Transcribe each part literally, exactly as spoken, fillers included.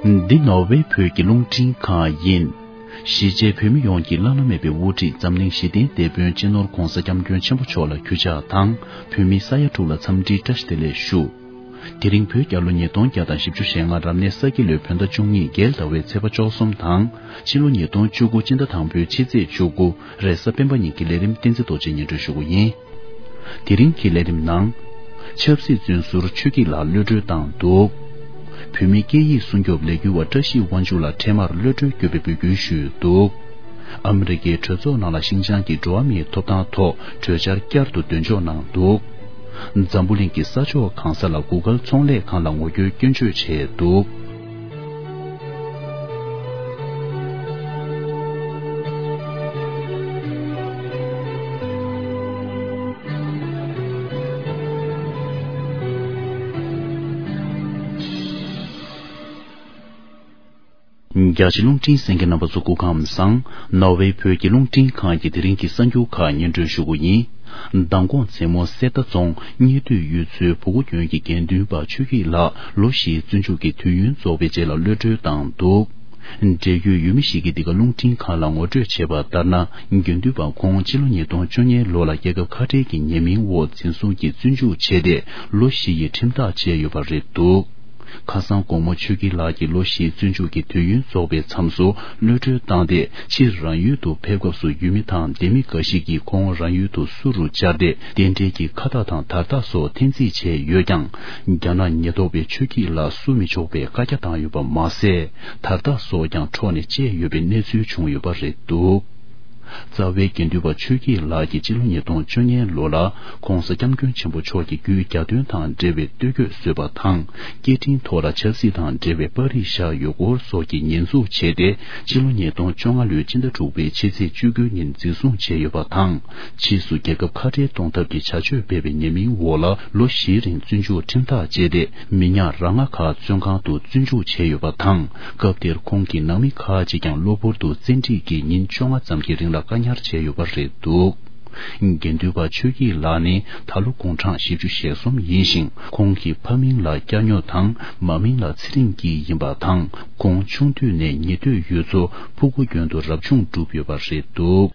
འདི་ནོར་ཝེ་བོད་ཀྱི་རླུང་འཕྲིན་ཁང་ཡིན། གཞིས་བྱེས་བོད་མི་ཡོངས་ཀྱི་བླ་ན་མེད་པའི་དབུ་ཁྲིད་འཛམ་གླིང་ཞི་བདེའི་དེད་དཔོན་སྤྱི་ནོར་༧གོང་ས་༧སྐྱབས་མགོན་ཆེན་པོ་མཆོག་ལ་གུས་ཕྱག་དང་། བོད་མི་ས་ཡ་དྲུག་ལ་འཚམས་འདྲིའི་བཀྲ་ཤིས་བདེ་ལེགས་ཞུ། དེ་རིང་བོད་རྒྱལ་ལོ་ཉིས་སྟོང་བརྒྱ་དང་བཞི་བཅུ་ཞེ་ལྔ་རབ་གནས་ས་ཁྱི་ལོའི་བོད་ཟླ་བཅུ་གཉིས་རྒྱལ་ཟླ་བའི་ཚེས་པ་བཅུ་གསུམ་དང་། ཕྱི་ལོ་ཉིས་སྟོང་བཅུ་དགུ་སྤྱི་ཟླ་དང་པོའི་ཕྱི་ཚེས་བཅུ་དགུ་རེས་གཟའ་སྤེན་པ་ཉིན་གྱི་ལས་རིམ་བསྟན་འཛིན་རྡོ་རྗེས་སྙན་སྒྲོན་ཞུ་གི་ཡིན། དེ་རིང་གི་ལས་རིམ་ནང་། ཆབ་སྲིད་བཙོན་ཟུར་ཆོས་སྐྱིད་ལགས་གློད་གྲོལ་བཏང་འདུག་བོད་མིའི་སྐད་ཡིག་སྲུང་སྐྱོབ་ལས་འགུལ་བ་བཀྲ་ཤིས་དབང་ཕྱུག་ལགས་འཕྲལ་མར་གློད་གྲོལ་དགོས་པའི་འབོད་སྐུལ་ཞུས་འདུག་ཨ་མི་རི་ཀའི་གྲོས་ཚོགས་ནང་ལ་ཤིན་ཅང་གི་འགྲོ་བ་མིའི་ཐོབ་ཐང་ཐོག་གྲོས་འཆར་བསྐྱར་དུ་འདོན་འཇོག་གནང་འདུག་འཛམ་བུ་གླིང་གི་ས་ཕྱོགས་གང་ས་ལ་གུ་གལ་ཚོང་ལས་ཁང་ལ་ངོ་རྒོལ་སྐྱོན་བརྗོད་བྱས་འདུག་རྒྱ་ཆེ་རླུང་འཕྲིན་གསན་མཁན་རྣམ་པ་ཚོ་སྐུ་ཁམས་བཟང་། ནོར་ཝེ་བོད་ཀྱི་རླུང་འཕྲིན་ཁང་གི་དེ་རིང་གི་གསར་འགྱུར་ཁག་སྙན་སྒྲོན་ཞུ་གི་ཡིན། མདང་དགོང་མཚན་མོ་གསེར་རྟ་རྫོང་གཉེར་སྡོད་ཡུལ་ཚོའི་བུ་གུ་གྱོན་གྱི་དགེ་འདུན་པ་ཆོས་སྐྱིད་ལགས་ལོ་བཞིའི་བཙོན་འཇུག་གི་དུས་ཡུན་རྫོགས་པའི་རྗེས་ལ་གློད་གྲོལ་བཏང་འདུག་འབྲེལ་ཡོད་ཡུལ་མི་ཞིག་གིས་འདི་ག་རླུང་འཕྲིན་ཁང་ལ་ངོ་སྤྲོད་བྱས་པ་ལྟར་ན། དགེ་འདུན་པ་ཁོང་ཕྱི་ལོ་ཉིས་སྟོང་བཅུ་གཉིས་ལོ་ལ་རྒྱལ་ཁབ་ཁ་བྲལ་གྱི་ཉེས་མིང་འོག་འཛིན་བཟུང་གིས་བཙོན་འཇུག་བྱས་ཏེ་ལོ་བཞི་ཡི་ཁྲིམས་ཐག་བཅད་ཡོད་པ་རེད་འདུག་ཁ་སང་དགོང་མོ་ཆོས་སྐྱིད་ལགས་ཀྱི་ལོ་བཞིའི་བཙོན་འཇུག་གི་དུས་ཡུན་རྫོགས་པའི་མཚམས་སུ་གློད་གྲོལ་བཏང་སྟེ། ཕྱིར་རང་ཡུལ་དུ་ཕེབས་སྐབས་སུ་ཡུལ་མི་དང་སྡེ་མི་འགའ་ཞིག་གིས་ཁོང་རང་ཡུལ་དུ་བསུ་རུ་བཅར་ཏེ། རྟེན་འབྲེལ་གྱི་ཁ་བཏགས་དང་དར་རྟགས་སོགས་འཐེན་རྩིས་བྱས་ཡོད་ཀྱང་། རྒྱ་ནག་ཉེན་རྟོག་པས་ཆོས་སྐྱིད་ལ་བསུ་མི་ཆོག་པའི་བཀའ་རྒྱ་བཏང་ཡོད་པ་མ་ཟད། དར་རྟགས་སོགས་ཀྱང་འཕྲོག་ནས་བཅད་ཡོད་པའི་གནས་ཚུལ་བྱུང་ཡོད་པ་རེད་འདུག་རྩ་བའི་དགེ་འདུན་པ་ཆོས་སྐྱིད་ལགས་ཀྱིས་ཕྱི་ལོ་ཉིས་སྟོང་བཅུ་གཉིས་ལོ་ལ་༧གོང་ས་༧སྐྱབས་མགོན་ཆེན་པོ་མཆོག་གི་རྒྱུད་གྱ་སྟོན་དང་འབྲེལ་བའི་སྟོད་གོས་བཟོས་པ་དང་། སྐད་འཕྲིན་ཐོག་ལ་ཆབ་སྲིད་དང་འབྲེལ་བའི་པར་རིས་བཞག་ཡོད་སྐོར་སོགས་ཀྱི་ཉེས་འཛུགས་བྱས་ཏེ། ཕྱི་ལོ་ཉིས་སྟོང་བཅོ་ལྔ་ལོའི་སྤྱི་ཟླ་དྲུག་པའི་ཕྱི་ཚེས་བཅུ་དགུ་ཉིན་འཛིན་བཟུང་བྱས་ཡོད་པ་དང་། ཕྱིས་སུ་རྒྱལ་ཁབ་ཁ་བྲལ་གཏོང་ཐབས་ཀྱི་བྱ་སྤྱོད་སྤེལ་བའི་ཉེས་མིང་འོག་ལ་ལོ་བཞིའི་རིང་བཙོན་འཇུག་ཁྲིམས་ཐག་བཅད་དེ། མི་ཉག་ར་ང་ཁ་བཙོན་ཁང་དུ་བཙོན་འཇུག་བྱས་ཡོད་པ་དང་། སྐབས་དེར་ཁོང་གི་ནང་མི་ཁག་ཅིག་ཀྱང་གློ་བུར་དུ་བཙན་ཁྲིད་ཀྱིས་ཉིན་བཅོ་ལྔ་ཙམ་གྱི་རིང་ལ་བཀག་ཉར་བྱས་ཡོད་པ་རེད་འདུག་དགེ་འདུན་པ་ཆོས་སྐྱིད་ལགས་ནི་ད་ལོ་དགུང་གྲངས་བཞི་བཅུ་ཞེ་གསུམ་ཡིན་ཞིང་། ཁོང་གི་ཕ་མིང་ལ་སྐྱ་སྨྱོ་དང་མ་མིང་ལ་ཚེ་རིང་སྐྱིད་ཡིན་པ་དང་། ཁོང་ཆུང་དུས་ནས་ཉེ་འདོད་ཡུལ་ཚོ་ཕུ་གུ་རྒྱུན་དུ་རབ་བྱུང་བསྒྲུབས་ཡོད་པ་རེད་འདུག་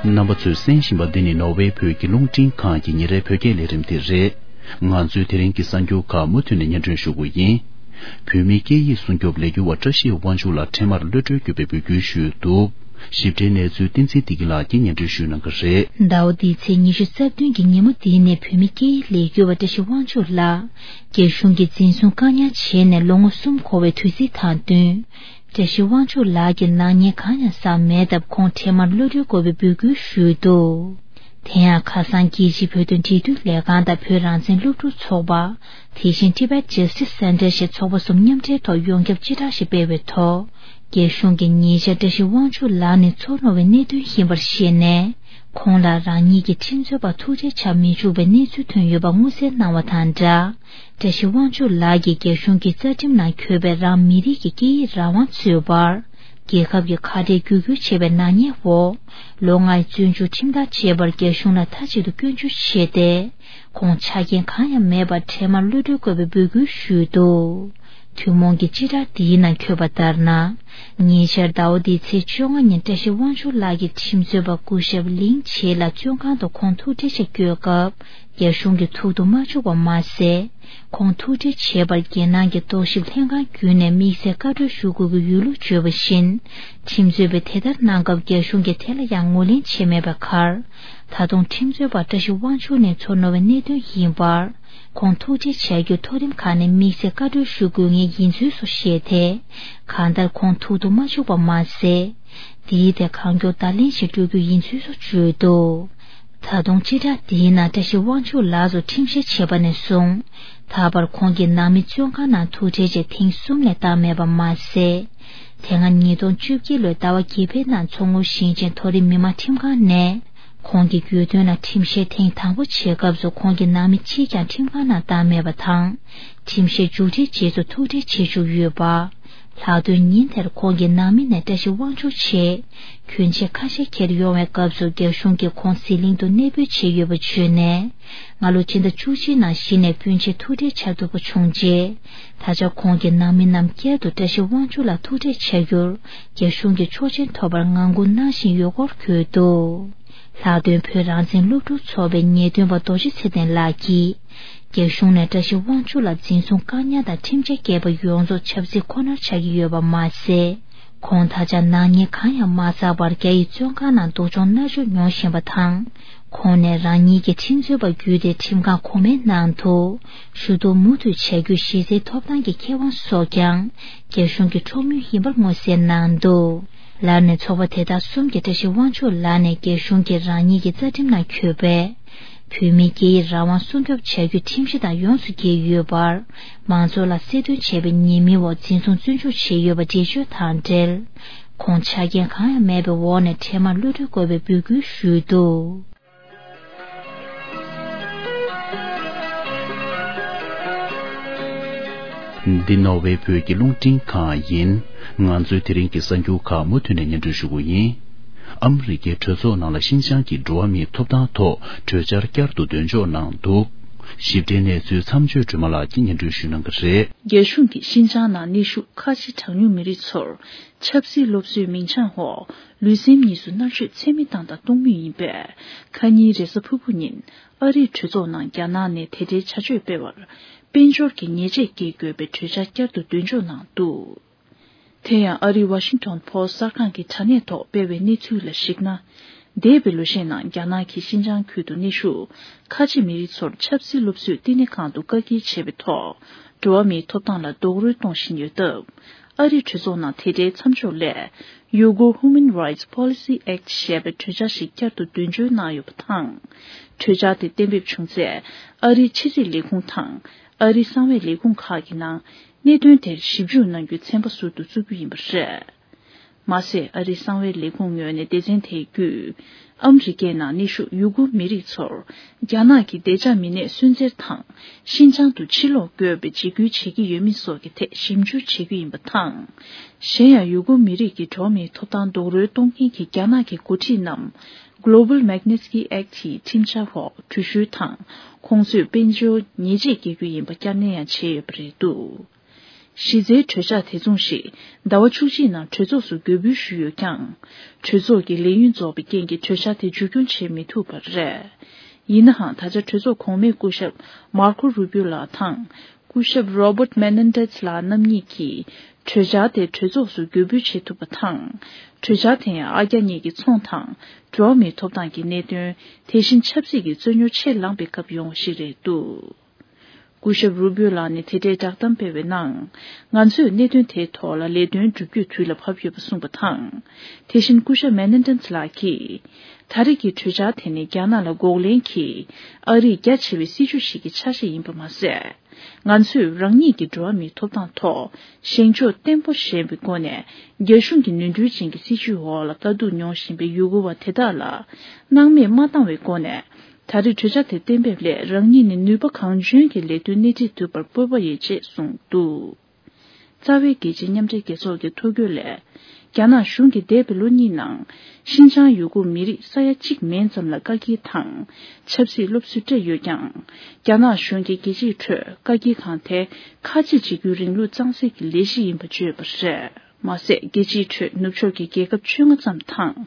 རྣམ་པ་ཚོས་གསན་བཞིན་པ་འདི་ནི་ནོར་ཝེ་བོད་ཀྱི་རླུང་འཕྲིན་ཁང་གི་ཉིན་རེའི་བོད་སྐད་ལས་རིམ་དེ་རེད། ང་ཚོས་དེ་རིང་གི་གསར་འགྱུར་ཁག་མུ་མཐུད་ནས་སྙན་སྒྲོན་ཞུ་གི་ཡིན། བོད་མིའི་སྐད་ཡིག་སྲུང་སྐྱོབ་ལས་འགུལ་བ་བཀྲ་ཤིས་དབང་ཕྱུག་ལགས་འཕྲལ་མར་གློད་གྲོལ་དགོས་པའི་འབོད་སྐུལ་ཞུས་འདུག་ཞིབ་ཕྲའི་གནས་ཚུལ་བསྟན་འཛིན་བདེ་སྐྱིད་ལགས་ཀྱིས་སྙན་སྒྲོན་ཞུ་གནང་གི་རེད། ཟླ་བ་འདིའི་ཚེས་ཉི་ཤུ་རྩ་བདུན་གྱི་ཉིན་མོ་འདི་ནས་བོད་མིའི་སྐད་ཡིག་ལས་འགུལ་བ་བཀྲ་ཤིས་དབང་ཕྱུག་ལགས་རྒྱ་གཞུང་གིས་འཛིན་བཟུང་བཀག་ཉར་བྱས་ནས་ལོ་ངོ་གསུམ་འཁོར་བའི་དུས་ཚིགས་དང་བསྟུན། བཀྲ་ཤིས་དབང་ཕྱུག་ལགས་ཀྱི་ནག་ཉེས་གང་ཡང་བསགས་མེད་སྟབས། ཁོང་འཕྲལ་མར་གློད་གྲོལ་དགོས་པའི་འབོད་སྐུལ་ཞུས་འདུག་དེ་ཡང་ཁ་སང་རྒྱལ་སྤྱིའི་བོད་དོན་འབྲེལ་མཐུད་ལས་ཁང་དང་བོད་རང་བཙན་སློབ་ཕྲུག་ཚོགས་པ། དེ་བཞིན་Tibet Justice Center ཞེས་ཚོགས་པ་གསུམ་མཉམ་འབྲེལ་ཐོག་ཡོངས་ཁྱབ་སྤྱི་བསྒྲགས་ཤིག་སྤེལ་བའི་ཐོག་རྒྱ་གཞུང་གིས་ཉེ་ཆར་བཀྲ་ཤིས་དབང་ཕྱུག་ལགས་ནི་ཚུར་གནང་བའི་གནད་དོན་ཡིན་པར་བཤད་ནས། ཁོང་ལ་རང་ཉིད་ཀྱི་ཁྲིམས་རྩོད་པ་ཐུག་འཕྲད་བྱ་མི་ཆོག་པའི་གནས་ཚུལ་ཐོན་ཡོད་པ་མངོན་གསལ་གནང་བ་དང་སྦྲགས། བཀྲ་ཤིས་དབང་ཕྱུག་ལགས་ཀྱིས་རྒྱ་གཞུང་གི་རྩ་ཁྲིམས་ནང་འཁོད་པའི་རང་མི་རིགས་ཀྱི་སྐད་ཡིག་རང་དབང་འཚོལ་བར། རྒྱལ་ཁབ་ཀྱི་ཁ་བྲལ་བརྒྱུད་སྐུལ་བྱས་པའི་ནག་ཉེས་འོག་ལོ་ལྔའི་བཙོན་འཇུག་ཁྲིམས་ཐག་བཅད་པར་རྒྱ་གཞུང་ལ་མཐའ་གཅིག་ཏུ་སྐྱོན་བརྗོད་བྱས་ཏེ། ཁོང་ཆ་རྐྱེན་གང་ཡང་མེད་པར་འཕྲལ་མར་གློད་གྲོལ་དགོས་པའི་འབོད་སྐུལ་ཞུས་འདུག་ཐུན་མོང་གི་སྤྱི་བསྒྲགས་འདིའི་ནང་འཁོད་པ་ལྟར་ན། ཉེ་ཆར་ཟླ་བ་འདིའི་ཚེས་བཅོ་ལྔ་ཉིན་བཀྲ་ཤིས་དབང་ཕྱུག་ལགས་ཀྱི་ཁྲིམས་རྩོད་པ་སྐུ་ཞབས་ལིང་ཆེ་ལགས་བཙོན་ཁང་དུ་ཁོང་ཐུག་འཕྲད་ཆེད་བསྐྱོད་སྐབས། རྒྱ་གཞུང་གིས་ཐུག་ཏུ་མ་བཅུག་པ་མ་ཟད། ཁོང་ཐུག་འཕྲད་བྱེད་པར་རྒྱལ་ནང་གི་རྟོག་ཞིབ་ལྷན་ཁང་བརྒྱུད་ནས་དམིགས་བསལ་བཀའ་འཁྲོལ་ཞུ་དགོས་ཀྱི་ཡོད་ལུགས་བརྗོད་པ་བཞིན། ཁྲིམས་རྩོད་པས་དེ་ལྟར་གནང་སྐབས་རྒྱ་གཞུང་གིས་དེ་ལ་ཡང་ངོས་ལེན་བྱས་མེད་པའི་ཁར། ད་དུང་ཁྲིམས་རྩོད་པ་བཀྲ་ཤིས་དབང་ཕྱུག་ནས་ཚུར་གནང་བའི་གནད་དོན་ཡིན་པར། ཁོང་ཐུག་འཕྲད་བྱ་རྒྱུ་མཐོ་རིམ་ཁག་ནས་དམིགས་བསལ་བཀའ་འཁྲོལ་ཞུ་དགོས་ངེས་ཡིན་ཚུལ་སོགས་བཤད་དེ། གང་ལྟར་ཁོང་ཐུག་ཏུ་མ་བཅུག་པ་མ་ཟད། དེའི་ཐད་གང་མགྱོགས་བརྡ་ལན་ཞིག་སྤྲོད་རྒྱུ་ཡིན་ཚུལ་སོགས་བརྗོད་འདུག་ད་དུང་སྤྱི་བསྒྲགས་འདིའི་ནང་བཀྲ་ཤིས་དབང་ཕྱུག་ལགས་སུ་ཁྲིམས་བཤེར་བྱས་པ་ནས་བཟུང་། ད་བར་ཁོང་གི་ནང་མི་བཙོན་ཁང་ནང་ཐུག་འཕྲད་བྱས་ཐེངས་གསུམ་ལས་བཏང་མེད་པ་མ་ཟད། དེ་སྔ་ཉིས་སྟོང་བཅོ་བརྒྱད་ལོའི་ཟླ་བ་བརྒྱད་པའི་ནང་མཚོ་སྔོན་ཞིང་ཆེན་མཐོ་རིམ་མི་དམངས་ཁྲིམས་ཁང་ནས། ཁོང་གི་རྒྱུད་དོན་ལ་ཁྲིམས་བཤེར་ཐེངས་དང་པོ་བྱེད་སྐབས་སུ་ཁོང་གི་ནང་མི་གཅིག་ཀྱང་ཁྲིམས་ཁང་ནང་བཏང་མེད་པ་དང་། ཁྲིམས་བཤེར་མཇུག་སྒྲིལ་རྗེས་སུ་ཐུག་འཕྲད་བྱེད་བཅུག་ཡོད་པ། ལྷག་དོན་ཉིན་དེར་ཁོང་གི་ནང་མི་ནས་བཀྲ་ཤིས་དབང་ཕྱུག་ཆེད་གྱོན་ཆས་ཁ་ཤས་འཁྱེར་ཡོང་བའི་སྐབས་སུ་རྒྱ་གཞུང་གིས་ཁོང་ཟི་ལིང་དུ་གནས་སྤོས་བྱས་ཡོད་པ་བརྗོད་ནས། སྔ་ལོ་ཕྱི་ཟླ་བཅུ་གཅིག་ནང་གཞི་ནས་སྤུན་མཆེད་ཐུག་འཕྲད་བྱ་ཐུབ་པ་བྱུང་རྗེས། ད་ཆ་ཁོང་གི་ནང་མི་རྣམས་བསྐྱར་དུ་བཀྲ་ཤིས་དབང་ཕྱུག་ལ་ཐུག་འཕྲད་བྱ་རྒྱུར་རྒྱ་གཞུང་གིས་ཆོག་མཆན་ཐོབ་པར་ངང་སྒུག་གནང་བཞིན་ཡོད་སྐོར་བཀོད་འདུག་ལྷག་དོན་བོད་རང་བཙན་སློབ་ཕྲུག་ཚོགས་པའི་ངེས་སྟོན་པ་རྡོ་རྗེ་ཚེ་བརྟན་ལགས་ཀྱིས། རྒྱ་གཞུང་ནས་བཀྲ་ཤིས་དབང་ཕྱུག་ལ་འཛིན་བཟུང་བཀག་ཉར་དང་ཁྲིམས་ཆད་བཀལ་པ་ཡོངས་རྫོགས་ཆབ་སྲིད་ཁོ་ནར་ཆགས་ཀྱི་ཡོད་པ་མ་ཟད། ཁོང་ད་ཆ་ནག་ཉེས་གང་ཡང་མ་བསགས་པར་རྒྱ་ཡི་བཙོན་ཁང་ནང་སྡུག་སྦྱོང་མནར་གཅོད་མྱོང་བཞིན་པ་དང་། ཁོང་ནས་རང་ཉིད་ཀྱི་ཁྲིམས་རྩོད་པ་བརྒྱུད་དེ་ཁྲིམས་ཁང་གོང་མའི་ནང་དུ་ཞུ་གཏུག་མུ་མཐུད་བྱ་རྒྱུའི་གཞི་རྩའི་ཐོབ་ཐང་གི་ཁེ་དབང་སོགས་ཀྱང་རྒྱ་གཞུང་གིས་འཕྲོག་མུས་ཡིན་པར་མངོན་གསལ་གནང་འདུག་ལར་ནས་ཚོགས་པ་དེ་དག་གསུམ་གྱིས་བཀྲ་ཤིས་དབང་ཕྱུག་ལགས་ནས་རྒྱ་གཞུང་གིས་རང་ཉིད་ཀྱི་རྩ་ཁྲིམས་ནང་འཁོད་པའི་བོད་མིའི་སྐད་ཡིག་རང་དབང་སྲུང་སྐྱོབ་བྱ་རྒྱུའི་ཁྲིམས་གཞི་དང་ཡོངས་སུ་འགལ་ཡོད་པར། མང་ཚོགས་ལ་གསལ་སྟོན་བྱས་པའི་ཉེས་མིང་འོག་འཛིན་བཟུང་བཙོན་འཇུག་བྱས་ཡོད་པ་འགྲེལ་བརྗོད་དང་འབྲེལ། ཁོང་ཆ་རྐྱེན་གང་ཡང་མེད་པའི་འོག་ནས་འཕྲལ་མར་གློད་གྲོལ་དགོས་པའི་འབོད་སྐུལ་ཞུས་འདུག་འདི་ནོར་ཝེ་བོད་ཀྱི་རླུང་འཕྲིན་ཁང་ཡིན། ང་ཚོའི་དེ་རིང་གི་གསར་འགྱུར་ཁག་མུ་མཐུད་ནས་སྙན་སྒྲོན་ཞུ་གི་ཡིན། ཨ་མི་རི་ཀའི་གྲོས་ཚོགས་ནང་ལ་ཤིན་ཅང་གི་འགྲོ་བ་མིའི་ཐོབ་ཐང་ཐོག་གྲོས་འཆར་བསྐྱར་དུ་འདོན་འཇོག་གནང་འདུག་ཞིབ་ཕྲའི་གནས་ཚུལ་མཚམས་གཅོད་སྒྲོལ་མ་ལགས་ཀྱིས་སྙན་སྒྲོན་ཞུ་གནང་གི་རེད། རྒྱ་གཞུང་གིས་ཤིན་ཅང་ནང་གནོན་ཤུགས་ཁ་ཆེ་གྲངས་ཉུང་མི་རིགས་ཚོར་ཆབ་སྲིད་སློབ་གསོའི་མིང་བྱང་འོག་ལུས་སེམས་གཉིས་སུ་མནར་གཅོད་ཚད་མེད་བཏང་དང་གཏོང་མུས་ཡིན་པས། ཁ་ཉིན་རེས་གཟའ་ཕུར་བུ་ཉིན་ཨ་རིའི་གྲོས་ཚོགས་ནང་རྒྱ་ནག་ནས་དེ་འབྲེལ་བྱ་སྤྱོད་སྤེལ་བར་དཔལ་འབྱོར་གྱི་ཉེས་ཆད་འགེལ་དགོས་པའི་གྲོས་འཆར་བསྐྱར་དུ་འདོན་འཇོག་གནང་འདུག་དེ་ཡང་ཨ་རིའི་ཝ་ཤིང་ཊོན་པོ་སི་གསར་ཁང་གི་དྲ་གནས་ཐོག་སྤེལ་བའི་གནས་ཚུལ་ལ་གཞིགས་ན། འདས་པའི་ལོ་ཤས་ནང་རྒྱ་ནག་གིས་ཤིན་ཅང་ཁུལ་དུ་གནས་བཞུགས་ཁ་ཆེ་མི་རིགས་ཚོར་ཆབ་སྲིད་སློབ་གསོའི་བསྟི་གནས་ཁང་དུ་བཀག་སྐྱིལ་བྱས་པའི་ཐོག་འགྲོ་བ་མིའི་ཐོབ་ཐང་ལ་རྡོག་རོལ་གཏོང་བཞིན་ཡོད་སྟབས། ཨ་རིའི་གྲོས་ཚོགས་ནང་དེ་འབྲེལ་མཚམས་འཇོག་སླད། Uyghur Human Rights Policy Act ཞེས་པའི་གྲོས་འཆར་ཞིག་བསྐྱར་དུ་འདོན་འཇོག་གནང་ཡོད་པ་དང་། གྲོས་འཆར་དེ་གཏན་འབེབས་བྱུང་ཚེ། ཨ་རིའི་ཕྱི་སྲིད་ལས་ཁུངས་དང་། ཨ་རིའི་གསང་བའི་ལས་ཁུངས་ཁག་གི་ནང་། གནད་དོན་དེར་ཞིབ་འཇུག་གནང་རྒྱུའི་ཚན་པ་ཟུར་དུ་བཙུགས་རྒྱུ་ཡིན་པ་རེད། མ་ཟད། ཨ་རིའི་གསང་བའི་ལས་ཁུངས་ངོས་ནས་སྡེ་ཚན་དེའི་བརྒྱུད། ཨ་མི་རི་ཀའི་ནང་གནས་བཞུགས་ཡུ་གུར་མི་རིགས་ཚོར། རྒྱ་ནག་གིས་བདེ་འཇགས་མི་སྣས་སུན་གཙེར་དང་། ཤིན་ཅང་དུ་ཕྱིར་ལོག་དགོས་པའི་འཇིགས་སྐུལ་བྱེད་ཀྱི་ཡོད་མེད་སོགས་ཀྱི་ཐད་ཞིབ་འཇུག་བྱེད་རྒྱུ་ཡིན་པ་དང་། གཞན་ཡང་། ཡུ་གུར་མི་རིགས་ཀྱི་འགྲོ་བ་མིའི་ཐོབ་ཐང་རྡོག་རོལ་གཏོང་མཁན་གྱི་རྒྱ་ནག་གི་འགོ་ཁྲིད་རྣམས། Global Magnitsky Act ཡི་ཁྲིམས་འཆར་འོག་འགྲུལ་བཞུད་དང་། ཁོང་ཚོས་དཔལ་འབྱོར་ཉེས་ཆད་འགེལ་རྒྱུ་ཡིན་པ་བསྐྱར་ནན་ཡང་བྱས་ཡོད་པ་རེད་འདུག་གཞི་རྩའི་གྲོས་འཆར་དེ་མཚུངས་ཤིག་ཟླ་བ་བཅུ་གཅིག་ནང་གྲོས་ཚོགས་སུ་འགོད་འབུལ་ཞུས་ཡོད་ཀྱང་། གྲོས་ཚོགས་ཀྱི་ལས་ཡུན་རྫོགས་པའི་རྐྱེན་གྱིས་གྲོས་འཆར་དེ་མཇུག་སྐྱོང་བྱེད་མི་ཐུབ་པ་རེད། ཡིན་ནའང་། ད་ཆ་གྲོས་ཚོགས་གོང་མའི་སྐུ་ཞབས་མར་ཁོ་རུ་བིའུ་ལགས་དང་། སྐུ་ཞབས་Robert Menendez ལགས་རྣམ་གཉིས་ཀྱིས། གྲོས་འཆར་དེ་གྲོས་ཚོགས་སུ་འགོད་འབུལ་བྱེད་ཐུབ་པ་དང་། གྲོས་འཆར་དེ་ཡང་། ཨ་རྒྱ་གཉིས་ཀྱི་ཚོང་དང་། འགྲོ་བ་མིའི་ཐོབ་ཐང་གི་གནད་དོན། དེ་བཞིན་ཆབ་སྲིད་ཀྱི་རྩོད་རྙོག་ཆེས་ལངས་པའི་སྐབས་ཡོང་བ་ཞིག་རེད་འདུག་སྐུ་ཞབས་རུ་བིའུ་ལགས་ནས་དེ་འབྲེལ་བསྒྲགས་གཏམ་སྤེལ་བའི་ནང་། ང་ཚོས་གནད་དོན་དེའི་ཐོག་ལ་ལས་དོན་བསྒྲུབ་རྒྱུའི་དུས་ལ་བབ་ཡོད་པ་གསུངས་པ་དང་། དེ་བཞིན་སྐུ་ཞབས་མེ་ནེ་ཏན་ལགས་ཀྱིས། ད་རེས་ཀྱི་གྲོས་འཆར་དེ་ནི་རྒྱ་ནག་ལ་འགོག་རྐྱེན་གྱི་ཨ་རིའི་རྒྱ་ཆེ་བའི་སྲིད་ཇུས་ཤིག་གི་ཆ་ཤས་ཡིན་པ་མ་ཟད། ང་ཚོས་རང་ཉིད་ཀྱི་འགྲོ་བ་མིའི་ཐོབ་ཐང་ཐོག་བཞེངས་ཕྱོགས་བརྟན་པོ་བཞེངས་པའི་སྒོ་ནས། རྒྱ་གཞུང་གི་ནོར་འཁྲུལ་ཅན་གྱི་སྲིད་ཇུས་འོག་ལ་དཀའ་སྡུག་མྱོང་བཞིན་པའི་ཡུ་གུར་བ་དེ་དག་ལ་སྣང་མེད་མ་བཏང་བའི་སྒོ་ནས། ད་རེས་གྲོས་འཆར་དེ་གཏན་འབེབས་སླད་རང་ཉིད་ནས་ནུས་པ་གང་འཇོན་གྱིས་ལས་དོན་སྣེ་ཁྲིད་ཐུབ་པར་སྤོབས་པ་ཡོད་ཅེས་གསུངས་འདུག་རྩ་བའི་རྒྱལ་སྤྱིའི་མཉམ་འབྲེལ་རྒྱལ་ཚོགས་ཀྱི་ཐོ་འགོད་ལས། རྒྱ་ནག་གཞུང་གིས་འདས་པའི་ལོ་གཉིས་ནང་། ཤིན་ཅང་ཡུ་གུར་མི་རིགས་ས་ཡ་གཅིག་མན་ཙམ་ལ་བཀག་སྐྱིལ་དང་། ཆབ་སྲིད་སློབ་གསོ་སྤྲད་ཡོད་ཀྱང་། རྒྱ་ནག་གཞུང་གིས་རྒྱལ་སྤྱིའི་ཁྲོད་བཀག་སྐྱིལ་ཁང་དེ་ཁ་ཆེ་འཇིགས་སྐུལ་རིང་ལུགས་གཙང་སེལ་གྱི་ལས་གཞི་ཡིན་པ་བརྗོད་པ་རེད། མ་ཟད། རྒྱལ་སྤྱིའི་ཁྲོད་ནུབ་ཕྱོགས་ཀྱི་རྒྱལ་ཁབ་བཅོ་ལྔ་ཙམ་དང་།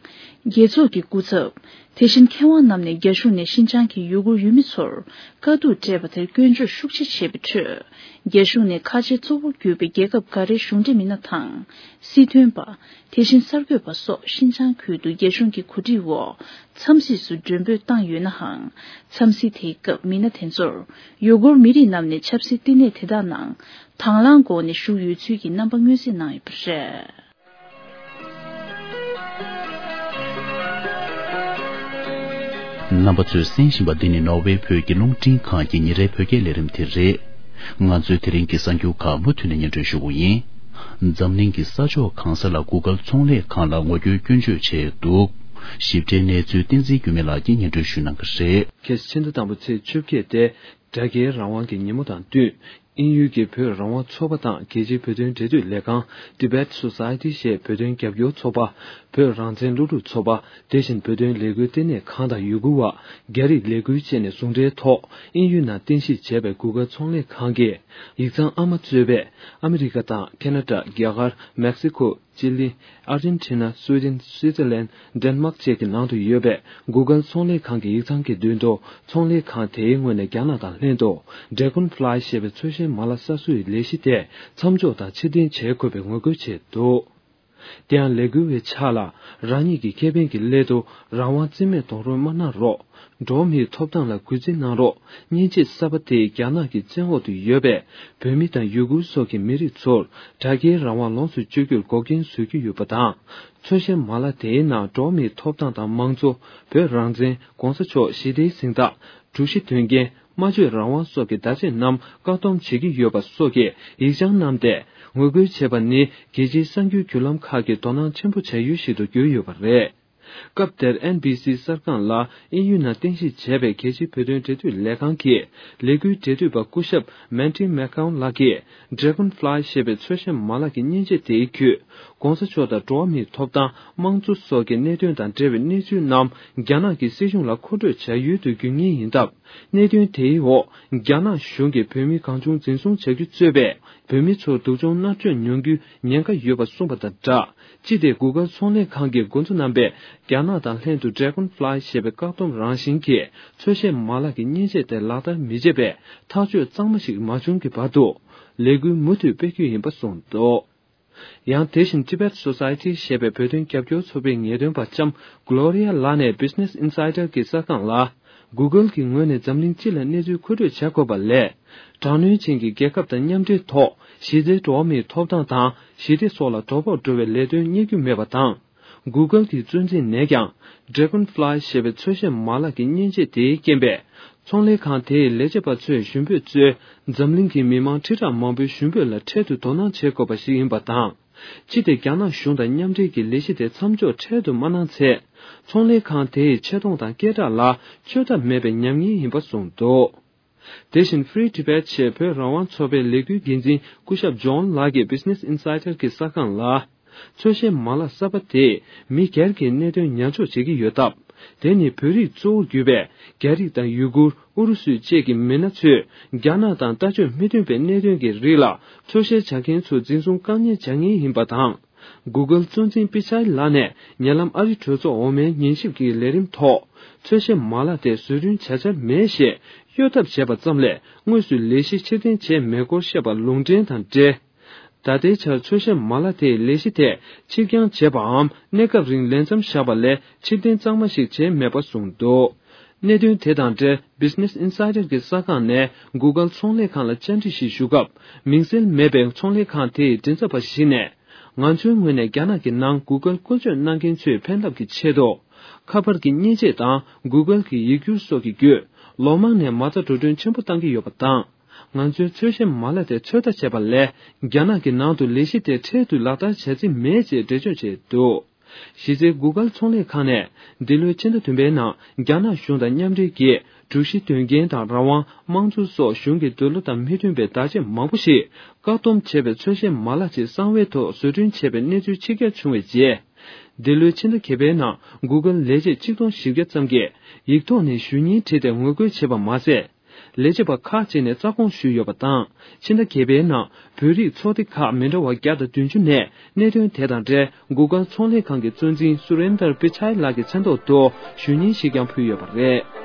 རྒྱལ་ཚོགས་ཀྱི་སྐུ་ཚབ། དེ་བཞིན་མཁས་དབང་རྣམས་ནས་རྒྱ་གཞུང་ནས་ཤིན་ཅང་གི་ཡུ་གུར་ཡུལ་མི་ཚོར་དཀའ་སྡུག་སྤྲད་པ་དེར་སྐྱོན་བརྗོད་ཤུགས་ཆེ་བྱས་པའི་ཁྲོད། རྒྱ་གཞུང་ནས་ཁ་ཆེ་གཙོ་བོར་གྱུར་པའི་རྒྱལ་ཁབ་འགའ་རེའི་གཞུང་འབྲེལ་མི་སྣ་དང་། སྲིད་དོན་པ། དེ་བཞིན་གསར་འགོད་པ་སོགས་ཤིན་ཅང་ཁུལ་དུ་རྒྱ་གཞུང་གི་གོ་སྒྲིག་འོག་འཚམས་གཟིགས་སུ་མགྲོན་འབོད་བཏང་ཡོད་ནའང་། འཚམས་གཟིགས་དེའི་སྐབས་མི་སྣ་དེ་ཚོར་ཡུ་གུར་མི་རིགས་རྣམས་ནས་ཆབ་སྲིད་བསྟི་གནས་དེ་དག་ནང་དང་བླངས་སྒོ་ནས་ཞུགས་ཡོད་ཚུལ་གྱི་རྣམ་པ་མངོན་གསལ་གནང་ཡོད་པ་རེད། རྣམ་པ་ཚོས་གསན་བཞིན་པ་འདི་ནི་ནོར་ཝེ་བོད་ཀྱི་རླུང་འཕྲིན་ཁང་གི་ཉིན་རེའི་བོད་སྐད་ལས་རིམ་དེ་རེད། ང་ཚོས་དེ་རིང་གི་གསར་འགྱུར་ཁག་མུ་མཐུད་ནས་སྙན་སྒྲོན་ཞུ་གི་ཡིན། འཛམ་གླིང་གི་ས་ཕྱོགས་གང་ས་ལ་གུ་གལ་ཚོང་ལས་ཁང་ལ་ངོ་རྒོལ་སྐྱོན་བརྗོད་བྱས་འདུག་ཞིབ་ཕྲའི་གནས་ཚུལ་བསྟན་འཛིན་འགྱུར་མེད་ལགས་ཀྱིས་སྙན་སྒྲོན་ཞུ་གནང་གི་རེད། ཁ་སང་ཕྱི་ཟླ་དང་པོ་ཚེས་བཅོ་བརྒྱད་དེ་སྒྲ་སྐྱེལ་རང་དབང་གི་ཉིན་མོ་དང་བསྟུན། དབྱིན་ཡུལ་གྱི་བོད་རང་དབང་ཚོགས་པ་དང་རྒྱལ་སྤྱིའི་བོད་དོན་འབྲེལ་མཐུད་ལས་ཁང་Tibet Society ཞེས་བོད་དོན་རྒྱབ་སྐྱོར་ཚོགས་པ། བོད་རང་བཙན་སློབ་ཕྲུག་ཚོགས་པ། དེ་བཞིན་བོད་དོན་ལས་འགུལ་ལྟེ་གནས་ཁང་དང་ཡུ་གུར་བ། རྒྱ་རིགས་ལས་འགུལ་བཅས་ནས་ཟུང་འབྲེལ་ཐོག་དབྱིན་ཡུལ་ནང་རྟེན་གཞི་བྱས་པའི་Google་ཚོང་ལས་ཁང་གིས་ཡིག་ཚང་ཨ་མ་གཙོས་པའི་ཨ་མི་རི་ཀ་དང་ཁེ་ན་ཌ། རྒྱ་གར། མེག་སི་ཁོ། ཅི་ལི། ཨར་ཇེན་ཊི་ན། སུའེ་ཌེན། སུའི་ཙེར་ལན། ཌེན་མཱག་བཅས་ཀྱི་ནང་དུ་ཡོད་པའི་Google་ཚོང་ལས་ཁང་གི་ཡིག་ཚང་གི་མདུན་དུ། ཚོང་ལས་ཁང་དེའི་ངོས་ནས་རྒྱ་ནག་དང་ལྷན་དུ་Dragonfly ཞེས་པའི་ཚོས་གཞན་མ་ལག་གསར་བཟོའི་ལས་གཞི་དེ་མཚམས་འཇོག་དང་ཕྱིར་འཐེན་བྱེད་དགོས་པའི་ངོ་རྒོལ་བྱས་འདུག་དེ་ཡང་ལས་འགུལ་བའི་ཕྱག་ལ། རང་ཉིད་ཀྱི་ཁེ་ཕན་གྱི་སླད་དུ་རང་དབང་རྩིས་མེད་གཏོང་རོགས་མ་གནང་རོགས། འགྲོ་བ་མིའི་ཐོབ་ཐང་ལ་གུས་བརྩི་གནང་རོགས། མཉེན་ཆས་གསར་པ་དེས་རྒྱ་ནག་གི་བཙན་འོག་ཏུ་ཡོད་པའི་བོད་མི་དང་ཡུ་གུར་སོགས་ཀྱི་མི་རིགས་ཚོར་དྲ་རྒྱའི་རང་དབང་ལོངས་སུ་སྤྱོད་རྒྱུར་འགོག་རྐྱེན་བཟོ་གི་ཡོད་པ་དང་། ཚོས་གཞན་མ་ལག་དེའི་ནང་འགྲོ་བ་མིའི་ཐོབ་ཐང་དང་མང་གཙོ། བོད་རང་བཙན། གོང་ས་མཆོག་ཞི་བདེའི་གཟེངས་རྟགས། དྲུག་བཞི་དོན་རྐྱེན། སྨྲ་བརྗོད་རང་དབང་སོགས་ཀྱི་བརྡ་ཆད་རྣམས་བཀག་སྡོམ་བྱེད་ཀྱི་ཡོད་པ་སོགས་ཀྱི་ཡིག་བྱང་བསྣམས་ཏེ་ངོ་རྒོལ་བྱས་པ་ནི་རྒྱལ་སྤྱིའི་གསར་འགྱུར་བརྒྱུད་ལམ་ཁག་གིས་དོ་སྣང་ཆེན་པོ་བྱ་ཡུལ་ཞིག་ཏུ་གྱུར་ཡོད་པ་རེད། སྐབས་དེར་ཨེན་བྷི་སི་གསར་ཁང་ལ་དབྱིན་ཡུལ་ནང་རྟེན་གཞི་བྱས་པའི་རྒྱལ་སྤྱིའི་བོད་དོན་འབྲེལ་མཐུད་ལས་ཁང་གི་ལས་འགུལ་འབྲེལ་མཐུད་པ་སྐུ་ཞབས་Mandy Macon ལགས་ཀྱིས་Dragonfly ཞེས་པའི་ཚོས་གཞན་མ་ལག་གི་མཉེན་ཆས་དེའི་བརྒྱུད། གོང་ས་མཆོག་དང་འགྲོ་བ་མིའི་ཐོབ་ཐང་། དམངས་གཙོ་སོགས་ཀྱི་གནད་དོན་དང་འབྲེལ་བའི་གནས་ཚུལ་རྣམས་རྒྱ་ནག་གི་སྲིད་གཞུང་ལ་མཁོ་སྤྲོད་བྱ་ཡུལ་དུ་འགྱུར་ངེས་ཡིན་སྟབས། གནད་དོན་དེའི་འོག་རྒྱ་ནག་གཞུང་གིས་བོད་མི་གང་བྱུང་འཛིན་བཟུང་བྱ་རྒྱུ་གཙོས་པའི་བོད་མི་ཚོར་སྡུག་སྦྱོང་མནར་གཅོད་མྱོང་རྒྱུའི་ཉེན་ཁ་ཡོད་པ་གསུངས་པ་དང་སྦྲགས། ཅི་སྟེ་Google ཚོང་ལས་ཁང་གིས་འགོ་འཛུགས་གནང་པའི་རྒྱ་ནག་དང་ལྷན་དུ་Dragonfly ཞེས་པའི་བཀག་སྡོམ་རང་བཞིན་གྱི་ཚོས་གཞན་མ་ལག་གི་མཉེན་ཆས་དེ་ལག་བསྟར་མི་བྱེད་པའི་ཐག་གཅོད་གཙང་མ་ཞིག་མ་བྱུང་གི་བར་དུ་ལས་འགུལ་མུ་མཐུད་སྤེལ་རྒྱུ་ཡིན་པ་གསུངས་འདུག་ཡང་དེ་བཞིན་Tibet Society ཞེས་པའི་བོད་དོན་རྒྱབ་སྐྱོར་ཚོགས་པའི་ངེས་སྟོན་པ་ལྕམ་Gloria ལགས་ནས་Business Insider གྱི་གསར་ཁང་ལ། Google གྱི་ངོས་ནས་འཛམ་གླིང་སྤྱི་ལ་གནས་ཚུལ་མཁོ་སྤྲོད་བྱ་དགོས་པ་ལས། དྲག་གནོན་ཅན་གྱི་རྒྱལ་ཁབ་དང་མཉམ་འབྲེལ་ཐོག་གཞི་རྩའི་འགྲོ་བ་མིའི་ཐོབ་ཐང་དང་ཞི་བདེ་སོགས་ལ་དོ་ཕོག་འགྲོ་བའི་ལས་དོན་གཉེར་རྒྱུ་མེད་པ་དང་། Google གྱི་གཙོ་འཛིན་ནས་ཀྱང་Dragonfly ཞེས་པའི་ཚོས་གཞན་མ་ལག་གི་མཉེན་ཆས་དེའི་རྐྱེན་པས། ཚོང་ལས་ཁང་དེའི་ལས་བྱེད་པ་ཚོས་ཞུ་འབོད་གཙོས་འཛམ་གླིང་གི་མི་མང་ཁྲི་ཕྲག་མང་པོའི་ཞུ་འབོད་ལ་འཕྲལ་དུ་དོ་སྣང་བྱེད་དགོས་པ་ཞིག་ཡིན་པ་དང་། ཅི་སྟེ་རྒྱ་ནག་གཞུང་དང་མཉམ་འབྲེལ་གྱི་ལས་གཞི་དེ་མཚམས་འཇོག་འཕྲལ་དུ་མ་གནང་ཚེ། ཚོང་ལས་ཁང་དེའི་ཆེ་མཐོང་དང་སྐད་གྲགས་ལ་བཅོས་ཐབས་མེད་པའི་ཉམས་ཉེས་ཡིན་པ་གསུངས་འདུག་དེ་བཞིན་Free Tibet ཞེས་བོད་རང་དབང་ཚོགས་པའི་ལས་འགུལ་འགན་འཛིན་སྐུ་ཞབས་ཇོན་ལགས་ཀྱིས་Business Insider གྱི་གསར་ཁང་ལ། ཚོས་གཞན་མ་ལག་གསར་པ་དེས་མི་སྒེར་གྱི་གནད་དོན་ཉར་འཇོག་བྱེད་ཀྱི་ཡོད་སྟབས། དེ་ནི་བོད་རིགས་གཙོ་བོར་གྱུར་པའི་རྒྱ་རིགས་དང་ཡུ་གུར། ཨུ་རུ་སུ་བཅས་ཀྱི་མི་སྣ་ཚོས་རྒྱ་ནག་དང་ལྟ་སྤྱོད་མི་མཐུན་པའི་གནད་དོན་གྱི་རིགས་ལ་ཚོས་གཞན་བྱ་མཁན་ཚོ་འཛིན་བཟུང་བཀག་ཉར་བྱ་ངེས་ཡིན་པ་དང་། Google གཙོ་འཛིན་པི་ཆའི་ལགས་ནས་ཉེ་ལམ་ཨ་རི་གྲོས་ཚོགས་འོག་མའི་ཉན་ཞིབ་ཀྱི་ལས་རིམ་ཐོག་ཚོས་གཞན་མ་ལག་དེ་བཟོ་སྐྲུན་བྱ་འཆར་མེད་ཞེས་གཡོལ་ཐབས་བྱས་པ་ཙམ་ལས་དངོས་སུ་ལས་གཞི་ཕྱིར་འཐེན་བྱས་མེད་སྐོར་བཤད་པ་ལུང་འདྲེན་དང་འབྲེལ། ད་ལྟའི་ཆར་ཚོས་གཞན་མ་ལག་དེའི་ལས་གཞི་དེ་ཕྱིར་འགྱངས་བྱས་པའམ་གནས་སྐབས་རིང་ལས་མཚམས་བཞག་པ་ལས་ཕྱིར་འཐེན་གཙང་མ་ཞིག་བྱས་མེད་པ་གསུངས་འདུག་གནད་དོན་དེ་དང་འབྲེལ་Business Insider གྱི་གསར་ཁང་ནས་Google ཚོང་ལས་ཁང་ལ་བཅར་འདྲི་ཞིག་ཞུ་སྐབས། མིང་གསལ་མེད་པའི་ཚོང་ལས་ཁང་དེའི་མགྲིན་ཚབ་པ་ཞིག་ནས། ང་ཚོའི་ངོས་ནས་རྒྱ་ནག་གི་ནང་Google བཀོལ་སྤྱོད་གནང་མཁན་ཚོའི་ཕན་ཐབས་ཀྱི་ཆེད་དུ། ཁ་པར་གྱི་མཉེན་ཆས་དང་Google གྱི་ཡིག་སྒྱུར་སོགས་ཀྱི་བརྒྱུད། ལོ་མང་ནས་མ་རྩ་འགྲོ་གྲོན་ཆེན་པོ་བཏང་གི་ཡོད་པ་དང་། ང་ཚོའི་ཚོས་གཞན་མ་ལག་དེ་ཚོད་ལྟ་བྱས་པ་ལས། རྒྱ་ནག་གི་ནང་དུ་ལས་གཞི་དེ་འཕྲལ་དུ་ལག་བསྟར་བྱ་རྩིས་མེད་ཅེས་འགྲེལ་བརྗོད་བྱས་འདུག་གཞི་རྩའི་Google ཚོང་ལས་ཁང་ནས་འདི་ལོའི་ཕྱི་ཟླ་བདུན་པའི་ནང་རྒྱ་ནག་གཞུང་དང་མཉམ་འབྲེལ་གྱིས་དྲུག་བཞི་དོན་རྐྱེན་དང་རང་དབང་། དམངས་གཙོ་སོགས་གཞུང་གི་འདོད་བློ་དང་མི་མཐུན་པའི་བརྡ་ཆད་མང་པོ་ཞིག་བཀག་སྡོམ་བྱས་པའི་ཚོས་གཞན་མ་ལག་ཅིག་གསང་བའི་ཐོག་བཟོ་སྐྲུན་བྱས་པའི་གནས་ཚུལ་ཕྱི་གྱར་བྱུང་བའི་རྗེས། འདི་ལོའི་ཕྱི་ཟླ་བརྒྱད་པའི་ནང་Google ལས་བྱེད་ཆིག་སྟོང་བཞི་བརྒྱ་ཙམ་གྱིས་ཡིག་ཐོག་ནས་ཞུ་སྙན་བྲིས་ཏེ་ངོ་རྒོལ་བྱས་པ་མ་ཟད། ལས་བྱེད་པ་ཁག་ཅིག་ནས་རྩ་དགོངས་ཞུས་ཡོད་པ་དང་། ཕྱི་ཟླ་བརྒྱད་པའི་ནང་བོད་རིགས་ཚོགས་སྡེ་ཁག་མི་འདྲ་བ་བརྒྱ་དང་བདུན་ཅུ་ནས་གནད་དོན་དེ་དང་འབྲེལ་Google ཚོང་ལས་ཁང་གི་གཙོ་འཛིན་Surinder Pichai ལགས་ཀྱི་མཚན་ཐོག་ཏུ་ཞུ་སྙན་ཞིག་ཀྱང་ཕུལ་ཡོད་པ་རེད།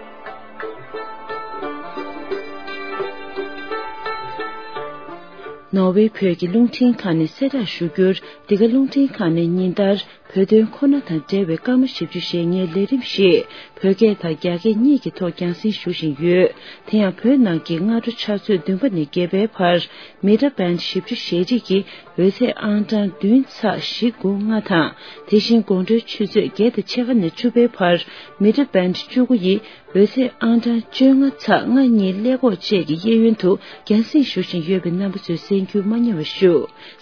ནོར་ཝེ་བོད་ཀྱི་རླུང་འཕྲིན་ཁང་ནས་གསལ་བསྒྲགས་ཞུ་རྒྱུར། འདི་ག་རླུང་འཕྲིན་ཁང་ནས་ཉིན་ལྟར། བོད་དོན་ཁོ་ན་དང་འབྲེལ་བའི་སྐར་མ་བཞི་བཅུ་ཞེ་ལྔའི་ལས་རིམ་ཞིག་བོད་སྐད་དང་རྒྱ་སྐད་གཉིས་ཀྱི་ཐོག་རྒྱང་སྲིང་ཞུ་བཞིན་ཡོད། དེ་ཡང་བོད་ནང་གི་སྔ་དྲོ་ཆུ་ཚོད་བདུན་པ་ནས་བརྒྱད་པའི་བར། Mita band བཞི་བཅུ་ཞེ་གཅིག་གི་ འོད་ཚད་ཨང་གྲངས་བདུན་ཚེག་བཞི་དགུ་ལྔ་དང་། དེ་བཞིན་དགོང་དྲོའི་ཆུ་ཚོད་བརྒྱད་དང་ཕྱེད་ཀ་ནས་བཅུ་པའི་བར་མི་ཊར་བེན་ཌི་བཅུ་དགུ་ཡི་འོད་ཚད་ཨང་གྲངས་བཅོ་ལྔ་ཚེག་ལྔ་གཉིས་ཀླད་ཀོར་བཅས་ཀྱི་གཡས་གཡོན་དུ་རྒྱང་སྲིང་ཞུ་བཞིན་ཡོད་པའི་རྣམ་པ་ཚོས་གསན་རྒྱུ་མ་བསྙེལ་བ་ཞུ།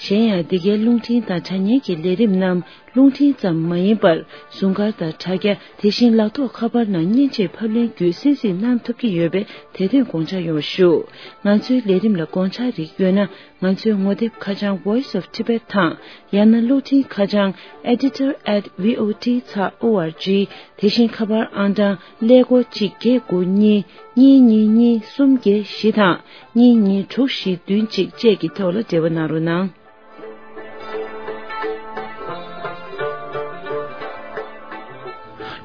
གཞན་ཡང་འདི་གའི་རླུང་འཕྲིན་དང་དྲ་བརྙན་གྱི་ལས་རིམ་རྣམས་རླུང་འཕྲིན་ཙམ་མ་ཡིན་པར་ཟུར་མཁར་དང་དྲ་རྒྱ། དེ་བཞིན་ལག་ཐོགས་ཁ་པར་ནང་མཉེན་ཆས་ཕབ་ལེན་བརྒྱུད་གསན་གཟིགས་གནང་ཐུབ་ཀྱི་ཡོད་པས་དེ་དོན་དགོངས་འཇགས་ཡོང་བ་ཞུ། ང་ཚོའི་ལས་རིམ་ལ་དགོངས་འཆར་རིགས་ཡོད་ན། ང་ཚོའི་ངོ་དེབ་ཁ་བྱང་Voice of Tibet དང་། ཡང་ན་གློག་འཕྲིན་ཁ་བྱང་editor at V O T ཚེག O R G། དེ་བཞིན་ཁ་པར་ཨང་གྲངས་ཀླད་ཀོར་གཅིག་བརྒྱད་དགུ་གཉིས་གཉིས་གཉིས་གཉིས་གསུམ་བརྒྱད་བཞི་དང་གཉིས་གཉིས་དྲུག་བཞི་བདུན་གཅིག་བཅས་ཀྱི་ཐོག་ལ་འབྲེལ་བ་གནང་རོགས་གནང་།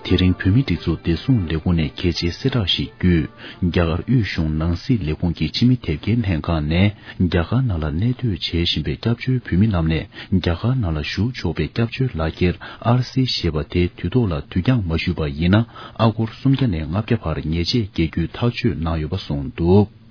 དེ་རིང་བོད་མིའི་སྒྲིག་འཛུགས་བདེ་སྲུང་ལས་ཁུངས་ནས་གལ་ཆེའི་གསལ་བསྒྲགས་ཤིག་བརྒྱུད། རྒྱ་གར་དབུས་གཞུང་ནང་སྲིད་ལས་ཁུངས་ཀྱི་ཕྱི་མི་དེབ་སྐྱེལ་ལྷན་ཁང་ནས། རྒྱ་གར་ནང་ལ་གནས་སྡོད་བྱེད་བཞིན་པའི་སྐྱབས་བཅོལ་བོད་མི་རྣམས་ནས། རྒྱ་གར་ནང་ལ་བཞུགས་ཆོག་པའི་སྐྱབས་བཅོལ་ལག་འཁྱེར་ཨར་སི་ཞེས་པ་དེ་དུས་ཐོག་ལ་དུས་འགྱངས་མ་ཞུས་པ་ཡིན་ན། ཨ་སྒོར་སུམ་བརྒྱ་ནས་ལྔ་བརྒྱ་བར་ཉེས་ཆད་འགེལ་རྒྱུའི་ཐག་གཅོད་གནང་ཡོད་པ་གསུངས་འདུག།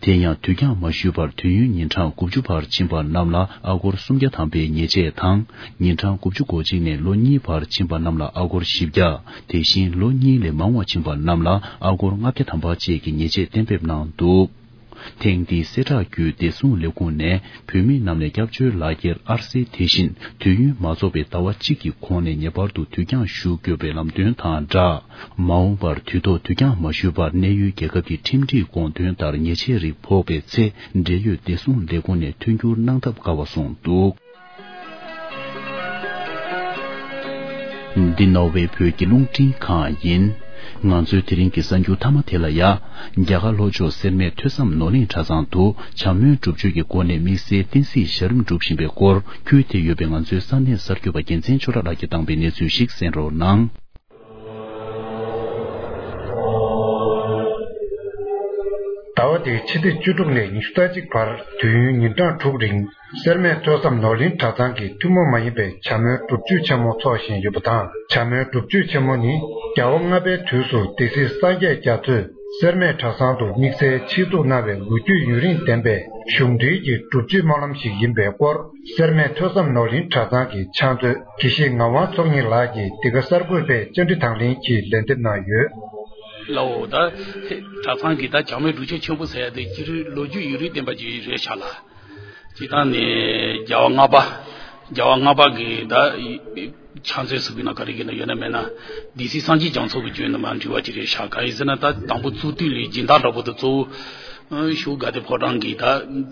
དེ་ཡང་དུས་འགྱངས་མ་ཞུས་པར་དུས་ཡུན་ཉིན་གྲངས་དགུ་བཅུ་བར་ཕྱིན་པ་རྣམས་ལ་ཨ་སྒོར་སུམ་བརྒྱ་ཐམ་པའི་ཉེས་ཆད་དང་། ཉིན་གྲངས་དགུ་བཅུ་གོ་གཅིག་ནས་ལོ་གཉིས་བར་ཕྱིན་པ་རྣམས་ལ་ཨ་སྒོར་བཞི་བརྒྱ། དེ་བཞིན་ལོ་གཉིས་ལས་མང་བ་ཕྱིན་པ་རྣམས་ལ་ཨ་སྒོར་ལྔ་བརྒྱ་ཐམ་པ་བཅས་ཀྱི་ཉེས་ཆད་གཏན་འབེབས་གནང་འདུག། ཐེངས་འདིའི་གསལ་བསྒྲགས་བརྒྱུད་བདེ་སྲུང་ལས་ཁུངས་ནས་བོད་མི་རྣམས་ནས་སྐྱབས་བཅོལ་ལག་འཁྱེར་ཨར་སི་དེ་བཞིན་དུས་ཡུན་མ་རྫོགས་པའི་ཟླ་བ་གཅིག་གི་གོང་ནས་ངེས་པར་དུ་དུས་འགྱངས་ཞུ་དགོས་པའི་ལམ་སྟོན་དང་སྦྲགས། མ་འོངས་པར་དུས་ཐོག་དུས་འགྱངས་མ་ཞུས་པར་གནས་ཡུལ་རྒྱལ་ཁབ་ཀྱི་ཁྲིམས་སྒྲིག་དགོངས་དོན་ལྟར་ཉེས་ཆད་རིགས་ཕོག་པའི་ཚེ། འབྲེལ་ཡོད་བདེ་སྲུང་ལས་ཁུངས་ནས་མཐུན་འགྱུར་གནང་ཐབས་དཀའ་བ་གསུངས་འདུག། འདི་ནོར་ཝེ་བོད་ཀྱི་རླུང་འཕྲིན་ཁང་ཡིན། ང་ཚོའི་དེ་རིང་གི་གསར་འགྱུར་མཐའ་མ་དེ་ལ་ཡ། རྒྱ་གར་ལྷོ་ཕྱོགས་སེར་སྨད་ཐོས་བསམ་ནོར་གླིང་གྲྭ་ཚང་དུ་བྱམས་སྨོན་སྒྲུབ་མཆོད་ཀྱི་སྒོ་ནས་དམིགས་བསལ་བསྟན་སྲིད་ཞབས་རིམ་སྒྲུབ་བཞིན་པའི་སྐོར། ཁུལ་དེ་ཡོད་པའི་ང་ཚོའི་ས་གནས་གསར་འགོད་པ་རྒྱལ་མཚན་ཆོས་གྲགས་ལགས་ཀྱིས་བཏང་པའི་གནས་ཚུལ་ཞིག་གསན་རོགས་གནང་། ཟླ་བ་འདིའི་ཕྱི་ཚེས་བཅུ་དྲུག་ནས་ཉི་ཤུ་རྩ་གཅིག་བར་དུས་ཡུན་ཉིན་གྲངས་དྲུག་རིང་། སེར་སྨད་ཐོས་བསམ་ནོར་གླིང་གྲྭ་ཚང་གིས་ཐུན་མོང་མ་ཡིན་པའི་བྱམས་སྨོན་སྒྲུབ་མཆོད་ཆེན་མོ་འཚོགས་བཞིན་ཡོད་པ་དང་། བྱམས་སྨོན་སྒྲུབ་མཆོད་ཆེན་མོ་ནི་རྒྱལ་བ་ལྔ་པའི་དུས་སུ་སྡེ་སྲིད་སངས་རྒྱས་རྒྱ་མཚོས་སེར་སྨད་གྲྭ་ཚང་དུ་དམིགས་བསལ་ཆེད་འཛུགས་གནང་བའི་ལོ་རྒྱུས་ཡུན་རིང་ལྡན་པའི་གཞུང་འབྲེལ་གྱི་སྒྲུབ་མཆོད་སྨོན་ལམ་ཞིག་ཡིན་པའི་སྐོར། སེར་སྨད་ཐོས་བསམ་ནོར་གླིང་གྲྭ་ཚང་གི་ཕྱག་མཛོད་དགེ་བཤེས་ངག་དབང་ཚོགས་གཉིས་ལགས་ཀྱིས་འདི་ག་གསར་འགོད་པའི་བཅར་འདྲི་དང་ལེན་གྱིས་ལན་འདེབས་གནང་ཡོད། ལའོ་ད། གྲྭ་ཚང་གིས་ད་བྱམས་སྨོན་སྒྲུབ་མཆོད་ཆེན་པོ་ཟེར་ཡ་དེ་སྤྱིར་ལོ་རྒྱུས་ཡུན་རིང་ལྡན་པ་ཅིག་རེད་ཤག་ལ། སྤྱིར་བཏང་ནས་རྒྱལ་བ་ལྔ་པ། རྒྱལ་བ་ལྔ་པ་གི་ད་ཕྱག་མཛོད་ཟེར་དགོས་ན་ག་རེ་གི་ན་ཡོད་ན་མེད་ན། སྡེ་སྲིད་སངས་རྒྱས་རྒྱ་མཚོ་གི་བརྒྱུད་ནས་མར་འབྲེལ་བ་ཅིག་རེད་ཤག་གང་ཡིན་ཟེར་ན་ད་དང་པོ་བཙུགས་དུས་ལས་སྦྱིན་བདག་འདྲ་པོ་དེ་གཙོ་བོ། ཞོགས་དགའ་ལྡན་ཕོ་བྲང་གི་ད་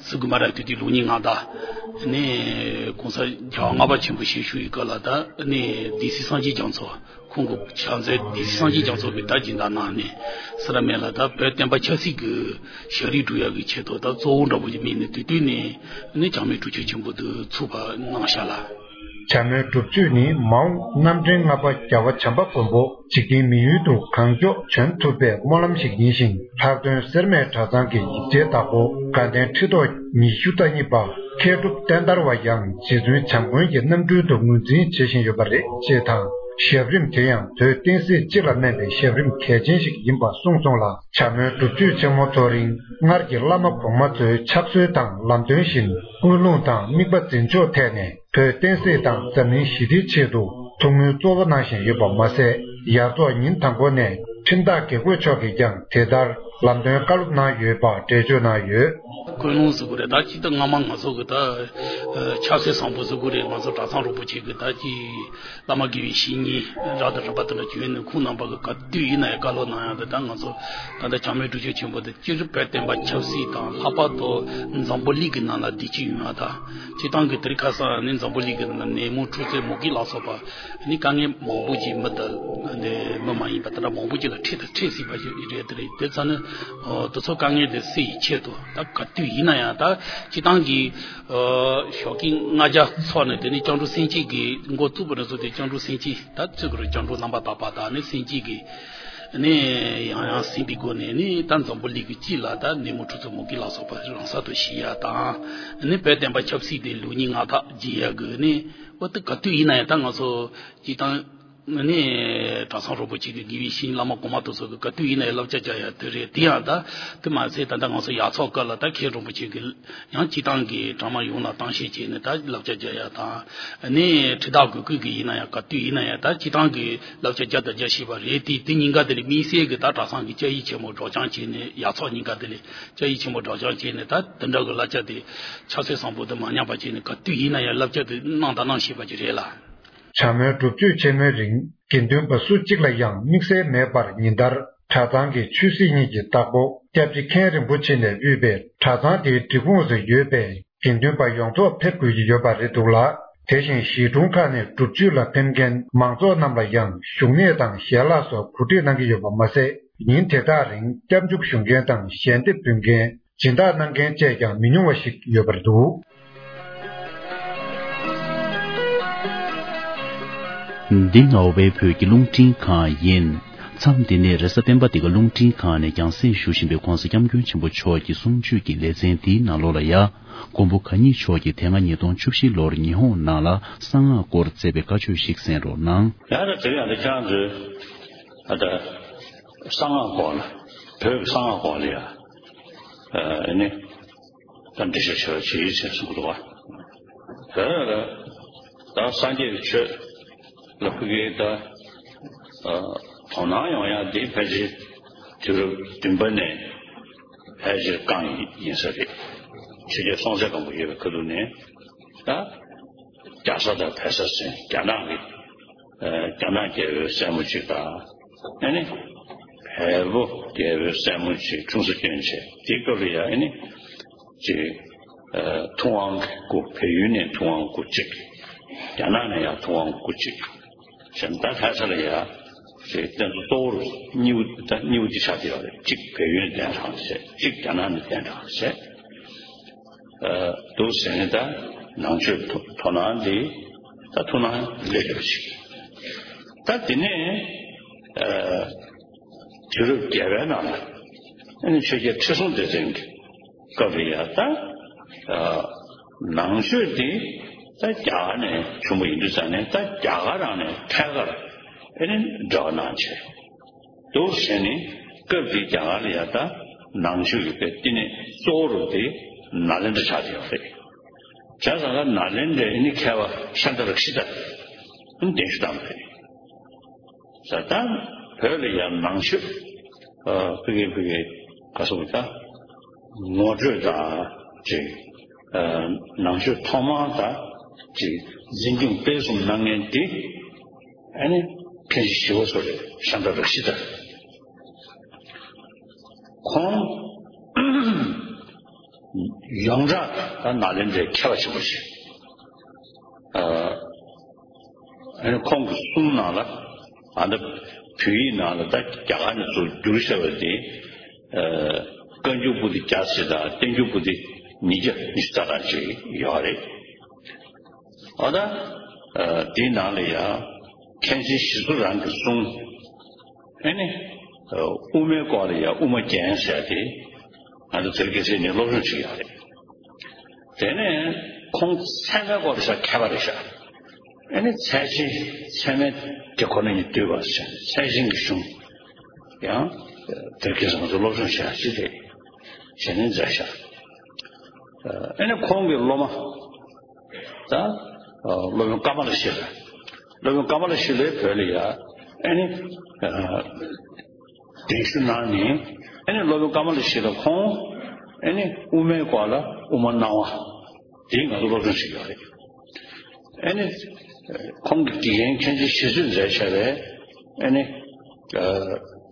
ཟེར་དགོས་མ་རེད། དུས་དུས་ལུགས་གཉིས་སྔགས་བདག་ནས་གོང་ས་རྒྱལ་བ་ལྔ་པ་ཆེན་པོ་ཞལ་བཞུགས་ཡི་ག་ལ་ད་ནས་སྡེ་སྲིད་སངས་རྒྱས་རྒྱ་མཚོ། ཁོང་གི་ཕྱག་མཛོད་སྡེ་སྲིད་སངས་རྒྱས་རྒྱ་མཚོ་གི་ད་སྦྱིན་བདག་གནང་ནས་ཟེར་ར་མེད་ལ། ད་བོད་བསྟན་པ་ཆབ་སྲིད་ཀྱི་ཞབས་རིམ་སྒྲུབ་ཡག་གི་ཆེད་དུ་ད་གཙོ་བོ་འདྲ་པོ་ཞིག་དམིགས་ནས་དུས་དུས་ནས་ནི་བྱམས་སྨོན་སྒྲུབ་མཆོད་ཆེན་པོ་དེ་ཚུགས་པ་གནང་ཤག་ལ། བྱམས་སྨོན་སྒྲུབ་མཆོད་ནི་མ་འོངས་རྣམ་འདྲེན་ལྔ་པ་རྒྱལ་བ་བྱམས་པ་མགོན་པོ་འཇིག་རྟེན་མི་ཡུལ་དུ་གང་མགྱོགས་བྱོན་ཐུབ་པའི་སྨོན་ལམ་ཞིག་ཡིན་ཞིང་། ལྷག་དོན་སེར་སྨད་གྲྭ་ཚང་གི་ཡིག་ཆའི་བདག་པོ་དགའ་ལྡན་ཁྲི་ཐོག་ཉི་ཤུ་རྩ་གཉིས་པ་མཁས་གྲུབ་བསྟན་དར་བ་ཡང་རྗེ་བཙུན་བྱམས་མགོན་གྱི་རྣམ་སྤྲུལ་དུ་ངོས་འཛིན་བྱེད་བཞིན་ཡོད་པ་རེད་ཅེས་དང་། ཞབས་རིམ་དེ་ཡང་བོད་བསྟན་སྲིད་སྤྱི་ལ་སྨན་པའི་ཞབས་རིམ་གལ་ཆེན་ཞིག་ཡིན་པ་གསུངས་སོང་ལ། བྱམས་སྨོན་སྒྲུབ་མཆོད་ཆེན་མོ་ཚོགས་རིང་སྔར་གྱི་བླ་མ་གོང་མ་ཚོའི་ཕྱག་སྲོལ་དང་ལམ་སྟོན་བཞིན་ཀུན་སློང་དང་དམིགས་པ་འཛིན་ཕྱོགས་ཐད་ནས། བོད་བསྟན་སྲིད་དང་འཛམ་གླིང་ཞི་བདེའི་ཆེད་དུ་ཐུགས་སྨོན་གཙོ་བོ་གནང་བཞིན་ཡོད་པ་མ་ཟད། ཡར་ཚོགས་ཉིན་དང་པོ་ནས་ཁྲིམས་བདག་དགེ་བསྐོས་མཆོག་གིས་ཀྱང་དེ་ལྟར་ལམ་སྟོན་བཀའ་སློབ་གནང་ཡོད་པ་འགྲེལ་བརྗོད་གནང་ཡོད། ཀུན་སློང་ཟེར་དགོས་རེད། ད་ཅི་ལྟར་སྔ་མ་ང་ཚོ་གི་ད་ཆབ་སྲིད་བཟང་པོ་ཟེར་དགོས་རེད། ང་ཚོ་གྲྭ་ཚང་རིན་པོ་ཆེ་གི་ད་ཅི་བླ་མ་དགེ་བའི་བཤེས་གཉེན་རབ་དང་རིམ་པ་དེ་འདྲ་བྱོན་ནས་ཁོང་རྣམ་པ་གི་ག་དུས་ཡིན་ན་ཡང་བཀའ་སློབ་གནང་ཡག་དེ། ད་ང་ཚོ་ད་ལྟ་བྱམས་སྨོན་སྒྲུབ་མཆོད་ཆེན་པོ་དེ། སྤྱིར་བོད་བསྟན་པ་ཆབ་སྲིད་དང་། ལྷག་པར་དུ་འཛམ་བུ་གླིང་གི་ནང་ལ་བདེ་སྐྱིད་ཡོང་ཡག་དང་། སྤྱིར་བཏང་གི་དེ་རིང་ཁ་སང་ནི་འཛམ་བུ་གླིང་གི་ནང་ནད་མུག་འཁྲུག་རྩོད་མུ་གེ་ལ་སོགས་པ་ནི་དཀའ་ངལ་མང་པོ་ཅིག་མི་དང་ནི་མི་མ་ཡིན་པ་དེ་འདྲ་མང་པོ་ཅིག་ལ་འཕྲད་དང་འཕྲད་སྲིད་པ་ཞིག་རེད། དེ་རེད། དེ་ཙང་ནི་དེ་ཚོ་དཀའ་ངལ་དེ་སེལ་ཡི་ཆེད་དུ་ད་ག་དུས་ཡིན་ན་ཡང་ད་སྤྱིར་བཏང་གི་ཞོགས་ཀྱི་ལྔ་བརྒྱ་ཚོགས་ནས། དེ་ནི་སྐྱབས་འགྲོ་སེམས་བསྐྱེད་ཀྱི་འགོ་བཙུགས་པ་ནས་བཟུང་སྟེ། སྐྱབས་འགྲོ་སེམས་བསྐྱེད་ད་བཙུགས་དགོས་རེད། སྐྱབས་འགྲོ་རྣམ་པར་དག་པ་དང་ནི་སེམས་བསྐྱེད་ཀྱི་ནི་ཡང་ཡང་ཟིན་པའི་སྒོ་ནས་ནི་ད་འཛམ་བུ་གླིང་གི་སྤྱི་ལ་ད་ནད་མུག་འཁྲུག་རྩོད་མུ་གེ་ལ་སོགས་པ་རང་སར་དུ་ཞི་ཡག་དང་། ནི་བོད་བསྟན་པ་ཆབ་སྲིད་དེ་ལུགས་གཉིས་སྔགས་བདག་བྱེད་ཡག་གི་ནི་འོ་ད་ག་དུས་ཡིན་ན་ཡང་ད་ང་ཚོ་སྤྱིར་བཏང་ ནི་གྲྭ་ཚང་རིན་པོ་ཆེ་གི་དགེ་བའི་བཤེས་གཉེན་བླ་མ་གོང་མ་དེ་ཚོ་གི་ག་དུས་ཡིན་ན་ཡང་བསླབ་བྱ་བྱ་ཡ་དེ་རེད། དེ་ཡང་ད་དེ་མ་ཟད་ད་ལྟ་ང་ཚོ་ཡག་ཚོགས་སྐབས་ལ་ད་མཁན་རིན་པོ་ཆེ་གི་ཡང་སྤྱི་བཏང་གི་གྲྭ་མ་ཡོངས་ལ་གཏམ་བཤད་བྱས་ནས་ད་བསླབ་བྱ་བྱ་ཡ་དང་། ནི་ཁྲི་བདག་གི་སྐུ་གི་ཡིན་ན་ཡང་ག་དུས་ཡིན་ན་ཡང་ད་སྤྱི་བཏང་གི་བསླབ་བྱ་བྱ་དང་བྱ་ཤེས་པ་རེད། དེ་དེ་ཉིན་ཀ་དེ་ལ་དམིགས་བསལ་གི་ད་གྲྭ་ཚང་གི་བཅའ་ཡིག་ཆེན་མོ་སྒྲོག་སྦྱང་བྱས་ནས། ཡག་ཚོགས་ཉིན་ཀ་དེ་ལ་བཅའ་ཡིག་ཆེན་མོ་སྒྲོག་སྦྱང་བྱས་ནས་ད་དེ་འདྲ་གི་བསླབ་བྱ་དེ་ཕྱག་སྲོལ་བཟང་པོ་དེ་མ་ཉམས་པ་བྱས་ནས་ག་དུས་ཡིན་ན་ཡང་བསླབ་བྱ་དེ་གནང་དང་གནང་ཤེས་པ་ཅིག་རེད་ལ། བྱ་མོའི་སྒྲུབ་མཆོད་ཆེན་མོའི་རིང་དགེ་འདུན་པ་སུ་གཅིག་ལ་ཡང་དམིགས་བསལ་མེད་པར་ཉིན་ལྟར་གྲྭ་ཚང་གི་ཆོས་སྲིད་གཉིས་ཀྱི་བདག་པོ་སྐྱབས་རྗེ་མཁན་རིན་པོ་ཆེ་ནས་དབུས་པའི་གྲྭ་ཚང་དེའི་སྒྲིག་ཁོངས་སུ་ཡོད་པའི་དགེ་འདུན་པ་ཡོངས་རྫོགས་ཕེབས་དགོས་ཀྱི་ཡོད་པ་རེད་འདུག་ལ། དེ་བཞིན་གཞིས་གྲོང་ཁག་ནས་སྒྲུབ་མཆོད་ལ་ཕེབས་མཁན་མང་ཚོགས་རྣམས་ལ་ཡང་བཞུགས་གནས་དང་ཞལ་ལག་སོགས་གོ་སྒྲིག་གནང་གི་ཡོད་པ་མ་ཟད། ཉིན་དེ་དག་རིང་སྐྱབས་འཇུག་ཞུ་མཁན་དང་ཞལ་འདེབས་ཕུལ་མཁན། སྦྱིན་བདག་གནང་མཁན་བཅས་ཀྱང་མི་ཉུང་བ་ཞིག་ཡོད་པར་འདུག། འདི་རྔ་བའི་བོད་ཀྱི་རླུང་འཕྲིན་ཁང་ཡིན། མཚམས་འདི་ནས་རེས་གཟའ་སྤེན་པ་འདི་ག་རླུང་འཕྲིན་ཁང་ནས་རྒྱང་སྲིང་ཞུ་བཞིན་པའི་༧གོང་ས་༧སྐྱབས་མགོན་ཆེན་པོ་མཆོག་གི་གསུང་ཆོས་ཀྱི་ལེ་ཚན་འདིའི་ནང་ལོགས་ལ་ཡ། མགོན་པོ་གང་ཉིད་མཆོག་གིས་དེ་སྔ་ཉིས་སྟོང་བཅུ་བཞི་ལོར་ཉི་ཧོང་ནང་ལ་གསང་སྔགས་སྐོར་མཛད་པའི་བཀའ་ཆོས་ཤིག་གསན་རོགས་གནང་། ཡང་ན་དེ་ཡང་དེ་ཁྱེད་རང་ཚོས་ཨ་ད་གསང་སྔགས་སྐོར་ལ་བོད་ཀྱི་གསང་སྔགས་སྐོར་ལ་ཡ་ཨ་ནི་ད་འགྲེལ་བཤད་བྱེད་རོགས་བྱེད་ཅེས་གསུངས་འདུག་བ། བོད་ལ་ད་སངས་རྒྱས་ཀྱི་ཆོས་ལ་ཕ་གིའི་ད་དོ་སྣང་ཡོང་ཡ་འདི་ཕལ་ཆེར་དུས་རབས་བདུན་པ་ནས་ཕལ་ཆེར་རྐང་ཡིན་ས་རེད། ཆོས་རྒྱལ་སྲོང་བཙན་སྒམ་པོ་ཡོད་པའི་ཁ་ཐུག་ནས་ད་རྒྱ་བཟའ་དང་བལ་བཟའ་ཟེར་རྒྱ་ནག་གི་རྒྱ་ནག་རྒྱལ་པོའི་སྲས་མོ་གཅིག་དང་ཨ་ནི་བལ་པོ་རྒྱལ་པོའི་སྲས་མོ་གཅིག་ཆུང་ས་སྐྱོན་བྱས། དེའི་སྐབས་ལ་ཡ་ཨ་ནི་ཅིག་ཐུབ་དབང་གི་སྐུ། བལ་ཡུལ་ནས་ཐུབ་དབང་སྐུ་གཅིག་རྒྱ་ནག་ནས་ཡང་ཐུབ་དབང་སྐུ་གཅིག་བྱས་ནས་ད་ལྷ་ས་ལ་ཡ་ཅིག་རྟེན་གཙོ་གཙོ་བོར་གཉིས་པོ་ད་གཉིས་པོ་འདི་ཆགས་བསྡད་ཡོད་རེད། གཅིག་བལ་ཡུལ་ནས་གདན་དྲངས་བྱས། གཅིག་རྒྱ་ནག་ནས་གདན་དྲངས་བྱས། ཨ་འདུག་ཟེར་ནས་ད་ནང་ཆོས་དོ་དོ་སྣང་འདི་ད་ཐུགས་སྣང་སླེབས་ཡོད་ཅིག་ད་དེ་ནས་ཨ་དུས་རབས་བརྒྱད་པའི་ནང་ལ་ཨ་ནི་ཆོས་རྒྱལ་ཁྲི་སྲོང་ལྡེ་བཙན་གྱི་སྐབས་ལ་ཡ་ད་ཨ་ནང་ཆོས་འདི་ད་རྒྱ་གར་ནས་བྱུང་བ་ཡིན་དུས་ཙང་ནས་ད་རྒྱ་གར་རང་ནས་ཐད་ཀར་ཨ་ནི་འབྲེལ་བ་གནང་བྱས། འདུག་བྱས་ནས་སྐབས་དེའི་རྒྱ་གར་ལ་ཡ་ད་ནང་ཆོས་ཀྱི་དཔེ་བསྟི་གནས་གཙོ་བོ་རུ་དེ་ནཱ་ལེནྡྲ་ཆགས་བསྡད་ཡོད་རེད། བྱས་ཙང་ཀ་ནཱ་ལེནྡྲའི་ནི་མཁས་པ་ཤཱནྟ་རཀྵི་ཏ་ནི་གདན་ཞུ་བཏང་བ་རེད། ད་ལྟ་བོད་ལ་ཡང་ནང་ཆོས་ཨ་ཕ་གི་ཕ་གི་ག་སོགས་ད་ངོ་སྤྲོད་དང་ཅིག་ཨ་ནང་ཆོས་ཐོག་མར་ད་ཅིག་འཛིན་སྐྱོང་སྤེལ་གསུམ་གནང་མཁན་དེ་ཨ་ནི་མཁན་ཆེན་ཞི་བ་འཚོ་རེད། ཤཱནྟ་རཀྵི་ཏ། ཁོང་ཡོངས་གྲགས་ད་ནཱ་ལེནྡྲའི་མཁས་པ་ཆེན་པོ་ཞིག་ཨ་ནི་ཁོང་གི་གསུང་ནང་ལ་ཨ་ནི་བོད་ཡིག་ནང་ལ་ད་རྒྱ་གར་ནས་ཚུར་བསྒྱུར་བཞག་པ་དེ་ཨ་བཀའ་འགྱུར་པོ་ཏི་བརྒྱ་ཙམ་དང་བསྟན་འགྱུར་པོ་ཏི་ཉིས་བརྒྱ་ཉི་ཤུ་རྩ་གྲངས་ཅིག་ཡོད་རེད། ཨ་ད་ཨ་དེའི་ནང་ལ་ཡང་མཁན་ཆེན་ཞི་འཚོ་རང་གི་གསུང་། ཨ་ནི་ཨ་དབུ་མའི་སྐོར་ལ་ཡང་དབུ་མ་རྒྱན་ཟེར་ཏེ་ང་ཚོ་དེ་རིང་ཁ་སང་ནས་སློབ་སྦྱོང་བྱེད་ཡག་རེད། དེ་ནས་ཁོང་ཚད་མའི་སྐོར་ལ་ཤ་མཁས་པ་རེད་ཤག་ཨ་ནི་ཚད་ཆེན་ཚད་མའི་དེ་ཁོ་ན་ཉིད་བསྡུས་པ་ཟེར་ཚད་ཆེན་གྱི་གཞུང་ཡང་དེ་རིང་ཁ་སང་ང་ཚོ་སློབ་སྦྱོང་བྱེད་ཡག་ཅིག་རེད་ཟེར་ནས་མཛད་ཤག་ཨ་ནི་ཁོང་གི་སློབ་མ། ད་སློབ་དཔོན་ཀ་མ་ལ་ཤཱི་ལ། སློབ་དཔོན་ཀ་མ་ལ་ཤཱི་ལའི་བོད་ལ་ཡ་ཨ་ནི་གདན་ཞུ་གནང་ནས་ཨ་ནི་སློབ་དཔོན་ཀ་མ་ལ་ཤཱི་ལ་ཁོང་ཨ་ནི་དབུ་མའི་སྐོར་ལ་དབུ་མ་སྣང་བ་དེའི་ང་ཚོ་སློབ་སྦྱོང་བྱེད་ཀྱི་ཡོད་རེད། ཨ་ནི་ཁོང་གི་དགེ་རྒན་མཁན་ཆེན་ཞི་འཚོས་མཛད་བྱས་པའི་ཨ་ནི་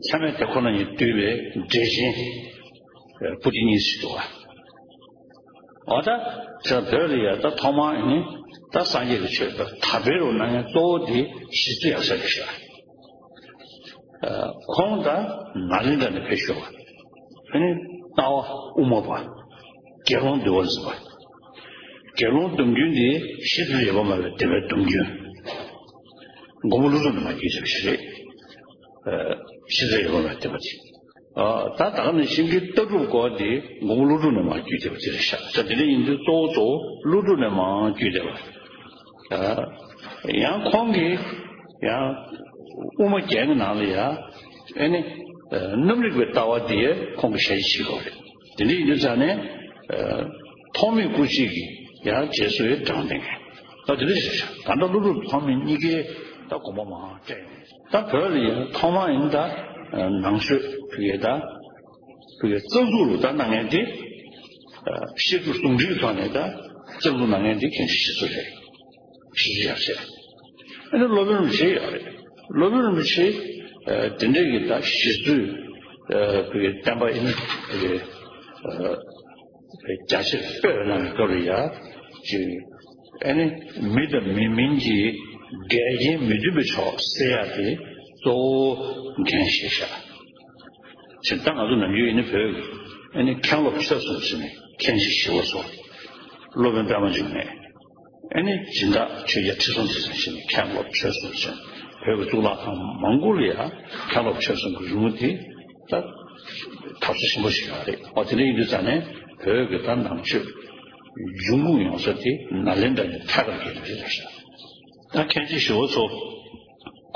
ཚད་མའི་དེ་ཁོ་ན་ཉིད་བསྡུས་པའི་འགྲེལ་ཆེན་པོ་ཏི་གཉིས་ཤིག་འདུག་བ། འོ་ད་ཁྱོད་བོད་ལ་ཡ་ད་ཐོག་མར་ནི་ད་སངས་རྒྱས་ཀྱི་ཆོས་ད་དར་སྤེལ་རོགས་གནང་མཁན་གཙོ་བོ་དེ་ཞི་འཚོ་ཡབ་སྲས་རེད་ཤག་ཁོང་ད་ནཱ་ལེནྡྲ་ནས་ཕེབས་ཤོག་ཨ་ནི་ལྟ་བ་དབུ་མ་པ། དགེ་སློང་འདུལ་བ་འཛིན་པ། དགེ་སློང་སྡོམ་རྒྱུན་དེ་ཤེས་རབ་ཡེར་པ་མ་པའི་བསྟན་པའི་སྡོམ་རྒྱུན། མགོན་པོ་ཀླུ་སྒྲུབ་ནས་མར་བརྒྱུད་བྱས་པ་ཞིག་རེད། ཤེས་རབ་ཡེར་པ་མ་པའི་བསྟན་པ་དེ། ཨ་ད་ད་ག་ནས་ཤིང་གི་ལྟ་གྲུབ་སྐོར་དེ་མགོན་པོ་ཀླུ་སྒྲུབ་ནས་མར་བརྒྱུད་བསྡད་པ་དེ་རེད་ཤག་ས་དེ་འདྲ་ཡིན་དུས་གཙོ་བོ་གཙོ་བོ་ཀླུ་སྒྲུབ་ནས་མར་བརྒྱུད་བསྡད་པ། ཨ་ཡང་ཁོང་གིས་ ཡང་དབུ་མ་རྒྱན་གྱི་ནང་ལ་ཡང་ཨེ་ནི་རྣམ་རིག་པའི་ལྟ་བ་དེ་ཁོང་གིས་ཞལ་བཞེས་བྱེད་དགོས་རེད། དེ་འདྲ་ཡིན་དུས་ཙང་ནས་ཐོགས་མེད་སྐུ་མཆེད་ཀྱི་ཡང་རྗེས་སུ་ཡང་འབྲང་བསྟན་མཁན་ད་དེ་འདྲ་ཞིག་བྱ། ད་ལྟ་ཀླུ་སྒྲུབ་ཐོགས་མེད་གཉིས་ཀའི་ད་དགོངས་པ་མང་སྤྲད་ཡོང་། ད་བོད་ལ་ཡང་ཐོག་མ་ཡིན་ད་ནང་ཆོས་ཕ་གི་ད་ཕ་གི་རྩ་འཛུགས་ལ་ད་གནང་མཁན་དེ་བཤད་སྒྲུབ་ཟུང་འབྲེལ་གྱི་ཐོག་ནས་ད་རྩ་འཛུགས་གནང་མཁན་དེ་མཁན་ཆེན་ཞི་འཚོ་རེད། ཞི་འཚོ་ཡབ་སྲས། ཨ་ནི་སློབ་དཔོན་རིན་པོ་ཆེ་ཡོད་རེད། སློབ་དཔོན་རིན་པོ་ཆེ་ཨ་དེ་འདྲ་གི་ད་ཞི་འཚོའི་ཨ་བོད་ཀྱི་བསྟན་པ་ཨ་ནི་ཨ་རྒྱ་ཆེར་སྤེལ་གནང་བའི་སྐབས་ལ་ཡ་ཅིག་ཨ་ནི་མི་དང་མི་མིན་གྱི་འགལ་རྐྱེན་མི་མཐུན་པའི་ཕྱོགས་སེལ་ཡ་དེ་གཙོ་བོ་འགན་བཞེས་ཤག་ཅིག་ད་ང་ཚོ་ནམ་རྒྱུན་ཨ་ནི་བོད་ཨ་ནི་མཁན་སློབ་ཆོས་གསུམ་ཟེར་ནས་མཁན་ཆེན་ཞི་བ་འཚོ། སློབ་དཔོན་པད་མ་འབྱུང་གནས། ཨ་ནི་སྦྱིན་བདག་ཆོས་རྒྱལ་ཁྲི་སྲོང་ལྡེ་བཙན་བྱས་ནས་མཁན་སློབ་ཆོས་གསུམ་བྱས་ནས་བོད་ཀྱི་གཙུག་ལག་ཁང་མང་པོ་ལ་ཡང་མཁན་སློབ་ཆོས་གསུམ་གྱི་རོལ་མོ་དེ་ད་འཐབ་ས་ཆེན་པོ་ཞིག་ཡོད་རེད། འོ་དེ་འདྲ་ཡིན་དུས་ཙང་ནས་བོད་ཀྱི་ད་ནང་ཆོས་འབྱུང་ཁུངས་ཡོང་ས་དེ་ནཱ་ལེནྡྲ་ནས་ཐད་ཀར་གྱི་རེད་ཤག་ད་མཁན་ཆེན་ཞི་བ་འཚོ་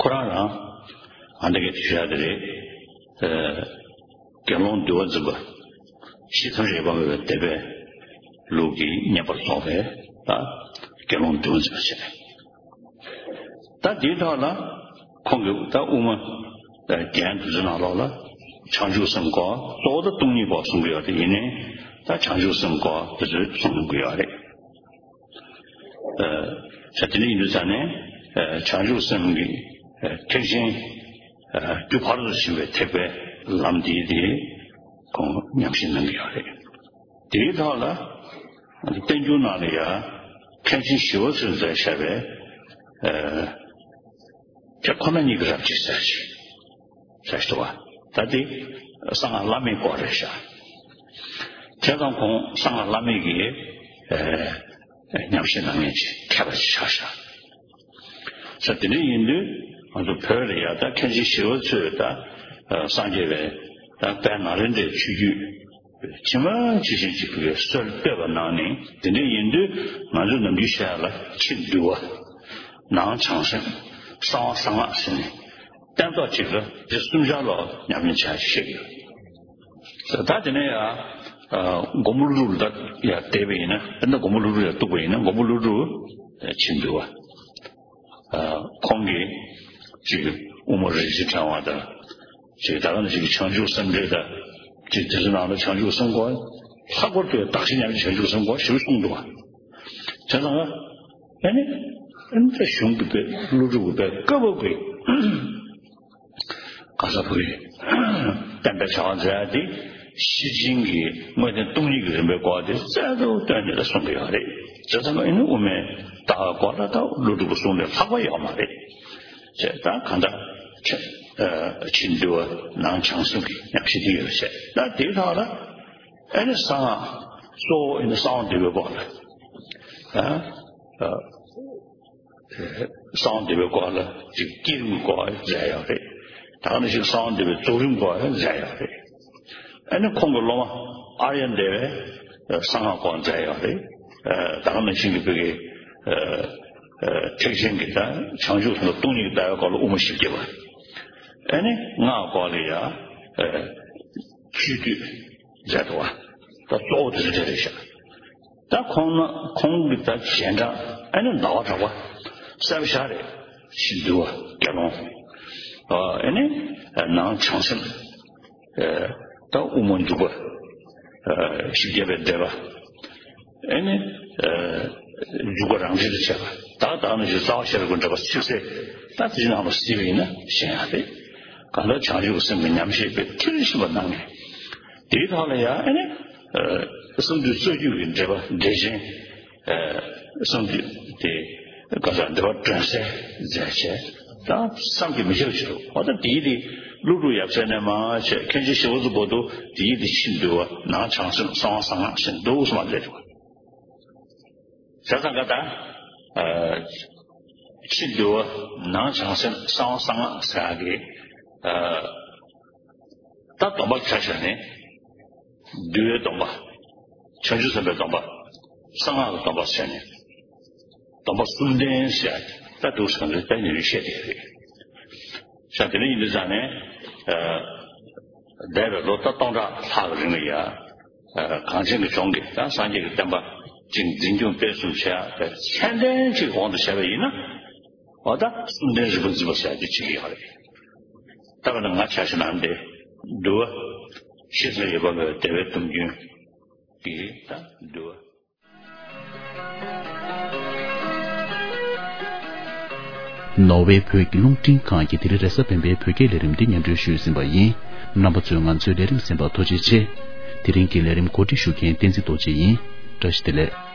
ཁོ་རང་རང་ཨ་འདྲ་གི་ཞུ་ཡ་དེ་རེད། ཨ། དགེ་སློང་འདུལ་བ་འཛིན་པ། ཤེས་ཐམས་ཅད་སྤངས་པའི་སྡེ་པའི་ལུགས་ཀྱི་བསྙེན་པར་རྫོགས་པའི་ད་དགེ་སློང་འདུལ་བ་འཛིན་པ་བྱས། ད་འདིའི་ཐོག་ལ་ཁོང་གིས་ད་དབུ་མ་རྒྱན་འདི་ཚོའི་ནང་ལོགས་ལ་བྱང་ཆུབ་སེམས་སྐོར་གཙོ་བོ་ད་སྟོང་ཉིད་སྐོར་གསུང་གི་ཡོད་དེ་ཡིན་ནའི་ད་བྱང་ཆུབ་སེམས་སྐོར་འདི་ཚོ་གསུང་གི་ཡོད་རེད། ཨ། ད་དེ་འདྲ་ཡིན་དུས་ཙང་ནས་ཨ་བྱང་ཆུབ་སེམས་ཀྱི་ཨ་ཐེག་ཆེན་ཨ་རྒྱུ་ཕར་ཚུར་ཕྱིན་པའི་ཐེག་པའི་ལམ་འདི་དེ་ཁོང་ཉམས་བཞེས་གནང་གི་ཡོད་རེད། དེའི་ཐོག་ལ་བསྟན་འགྱུར་ནང་ལ་ཡང་མཁན་ཆེན་ཞི་བ་འཚོས་མཛད་བཞག་པའི་ཨ་དེ་ཁོ་ན་ཉིད་ཀྱི་རབ་བྱེད་ཟེར་ཞིག་ཟེར་ཞིག་འདུག་བ། ད་དེ་གསང་སྔགས་བླ་མེད་སྐོར་རེད་ཤག་བྱས་ཙང་ཁོང་གསང་སྔགས་བླ་མེད་ཀྱི་ཨ་ཉམས་བཞེས་གནང་མཁན་ཅིག་མཁས་པ་ཅིག་ཆགས་ཤག་ས་དེ་འདྲ་ཡིན་དུས་ང་ཚོ་བོད་ལ་ཡ་ད་མཁན་ཆེན་ཞི་བ་འཚོས་ད་སངས་རྒྱས་པའི་ད་དཔལ་ནཱ་ལེནྡྲའི་ཆོས་བརྒྱུད་ཇི་མ་ཇི་བཞིན་ཅིག་གི་སྲོལ་བཏོད་པ་གནང་ནས་དེ་འདྲ་ཡིན་དུས་ང་ཚོ་ནམ་རྒྱུན་བཤད་ཡ་ལ་ཕྱི་འདུལ་བ། ནང་བྱང་སེམས། གསང་བ་གསང་སྔགས་ཟེར་ནས་སྟན་ཐོག་གཅིག་ལ་དེ་གསུམ་ཆར་ལ་ཉམས་ལེན་བྱ་ཞིག་ཡོད། ད་དེ་ནས་ཡང་སྒོམ་པ་ཀླུ་སྒྲུབ་ལ་ཡང་བལྟས་པ་ཡིན་ན་དཔེར་ན་སྒོམ་པ་ཀླུ་སྒྲུབ་ལ་གཏུགས་པ་ཡིན་ན་སྒོམ་པ་ཀླུ་སྒྲུབ་ཕྱི་འདུལ་བ། ཁོང་གིས་ཅིག་དབུ་མ་རིན་ཆེན་ཕྲེང་བ་དང་། ཅིག་ད་ག་ནང་བཞིན་གྱི་བྱང་ཆུབ་སེམས་འགྲེལ་དང་། ཅིག་དེ་ཚོ་ནང་ལ་བྱང་ཆུབ་སེམས་སྐོར་ལྷག་པར་དུ་བདག་གཞན་མཉམ་བརྗེ་བྱང་ཆུབ་སེམས་སྐོར་ཞེ་པོ་གསུངས་འདུག་བ། བྱས་ཙང་ཨ་ནི་ཨ་ནི་ད་གཞུང་གི་དཔེ་ཀླུ་སྒྲུབ་ཀྱི་དཔེ་བཀའ་བབས་ཀྱི་ག་ས་བུ་ཡིན་བསྟན་པའི་བྱ་བ་མཛད་དེ་ཤེར་ཕྱིན་གྱི་དངོས་བསྟན་སྟོང་ཉིད་ཀྱི་རིམ་པའི་སྐོར་དེ་རྩལ་དུ་བཏོན་ནས་ད་གསུང་གི་ཡོད་རེད། བྱས་ཙང་ཨ་ནི་དབུ་མའི་ལྟ་བ་སྐོར་ལ་ད་ཀླུ་སྒྲུབ་ཀྱིས་གསུངས་ནས་ལྷག་པ་ཡོད་མ་རེད། ཅེས་ད་གང་ལྟར་ཕྱི་ཨ་ཕྱི་འདུལ་བ་ནང་བྱང་སེམས་ཀྱི་ཉམས་བཞེས་དེ་ཡོད་བྱས། ད་དེའི་ཐོག་ལ་ཨ་ནི་གསང་སྔགས་གཙོ་བོ་ཨ་ནི་གསང་བ་འདུས་པའི་སྐོར་ལ་ཨ་ཨ་གསང་བ་འདུས་པའི་སྐོར་ལ་ཅིག་བསྐྱེད་རིམ་སྐོར་མཛད་ཡོད་རེད། ད་ག་ནང་བཞིན་གསང་བ་འདུས་པའི་རྫོགས་རིམ་སྐོར་མཛད་ཡོད་རེད། ཨ་ནི་ཁོང་གི་སློབ་མ་ཨཱརྱ་དེ་བས་གསང་སྔགས་སྐོར་མཛད་ཡོད་རེད། ད་ག་ནང་བཞིན་གྱི་བོད་ཀྱི་ཨ་ཨ་ཐེག་ཆེན་གྱི་ད་བྱང་ཆུབ་སེམས་དང་སྟོང་ཉིད་ཀྱི་ལྟ་བའི་སྐོར་ལ་དབུ་མ་བཞི་བརྒྱ་པ། ཨ་ནི་སྔགས་སྐོར་ལ་ཡང་ཨ་བཅུད་བསྡུས་མཛད་འདུག་བ། ད་གཙོ་བོ་དེ་ཚོ་དེ་རེད་ཤག་ད་ཁོང་ན་ཁོང་གི་ད་རྗེས་འབྲང་ཨ་ནི་ཟླ་བ་གྲགས་པ་གསལ་པོ་ཞེ་དྲག་རེད། ཕྱི་འདུལ་བ་དགེ་སློང་། ཨ་ནི་ནང་བྱང་སེམས། ད་དབུ་མ་འཇུག་པ། བཞི་བརྒྱ་པའི་བཟླས་པ། ཨེ་ནི། འཇུག་པ་རང་འགྲེལ་དུ་བྱས་པ། ད་ད་ནི་རྩ་བ་ཤེས་རབ་ཀྱི་འགྲེལ་པ་ཚིག་གསལ། ད་དེ་ནང་ལ་གཟིགས་པ་ཡིན་ན་ཤེས་ཡག་རེད། གང་ལྟར་བྱང་ཆུབ་སེམས་ཀྱི་ཉམས་བཞེས་པའི་མཐིལ་ཕྱིན་པ་གནང་ངེས། དེའི་ཐོག་ལ་ཡང་ཨེ་ནི། གསང་འདུས་རྩ་རྒྱུད་ཀྱི་འགྲེལ་པ་འགྲེལ་ཆེན། གསང་འདུས་དེ་ག་ས་འགྲེལ་པ་སྒྲོན་གསལ་མཛད་བྱས། ད་བསམ་གྱིས་མི་ཁྱབ་ཅིག་འདུག་འོ་ད་དེའི་དེ་ཀླུ་སྒྲུབ་ཡབ་སྲས་ནས་མར་བྱས་མཁན་ཆེན་ཞི་བ་འཚོ་བར་དུ་དེའི་དེ་ཕྱི་འདུལ་བ་ནང་བྱང་སེམས་གསང་བ་གསང་སྔགས་ཟེར་འདུག་སེ་མར་མཛད་འདུག་བྱས་ཙང་ག་ད། ཕྱི་འདུལ་བ་ནང་བྱང་སེམས་གསང་བ་གསང་སྔགས་ཟེར་ཡག་གི་ད་སྡོམ་པ་ཆ་བཞག་ནས། འདུལ་བའི་སྡོམ་པ། བྱང་ཆུབ་སེམས་དཔའི་སྡོམ་པ། གསང་སྔགས་ཀྱི་སྡོམ་པ་ཟེར་ནས། སྡོམ་པ་གསུམ་ལྡན་ཟེར་ཡག་ད་འདུག་སེ་ད་ནི་བཤད་དེ་རེད། ཤ་དེ་འདྲ་ཡིན་དུས་ཙང་ནས། ཨ། འདས་པའི་ལོ་ད་སྟོང་ཕྲག་ལྷག་གི་རིང་ལ་ཡ། ཨ། གངས་ཅན་གྱི་ལྗོངས་ཀྱི་ད་སངས་རྒྱས་ཀྱི་བསྟན་པ་ཅིག་འཛིན་སྐྱོང་སྤེལ་གསུམ་བྱེད་ཡ་དེ་ཚད་ལྡན་ཅིག་དབང་དུ་བྱས་པ་ཡིན་ན། འོ་ད་གསུམ་ལྡན་རིལ་བུ་འཛིན་པ་ཟེར་ཡ་དེ་བྱེད་ཀྱི་ཡོད་རེད། ད་ག་ན་ང་ཆ་བཞག་ན་འདི་འདུལ་བ་ཤེས་ཚད་ཡོད་པ་བའི་བདེ་བའི་སྟོང་རྒྱུན་གྱི་ད་འདུལ་བ། ནོར་ཝེ་བོད་ཀྱི་རླུང་འཕྲིན་ཁང་གིས་དེ་རིང་རེས་གཟའ་སྤེན་པའི་བོད་སྐད་ལས་རིམ་འདི་སྙན་སྒྲོན་ཞུས་ཟིན་པ་ཡིན། རྣམ་པ་ཚོས་ང་ཚོའི་ལས་རིམ་གསན་པར་ཐུགས་རྗེ་ཆེ། དེ་རིང་གི་ལས་རིམ་གོ་སྒྲིག་ཞུ་མཁན་བསྟན་འཛིན་རྡོ་རྗེ་ཡིན། བཀྲ་ཤིས་བདེ་ལེགས།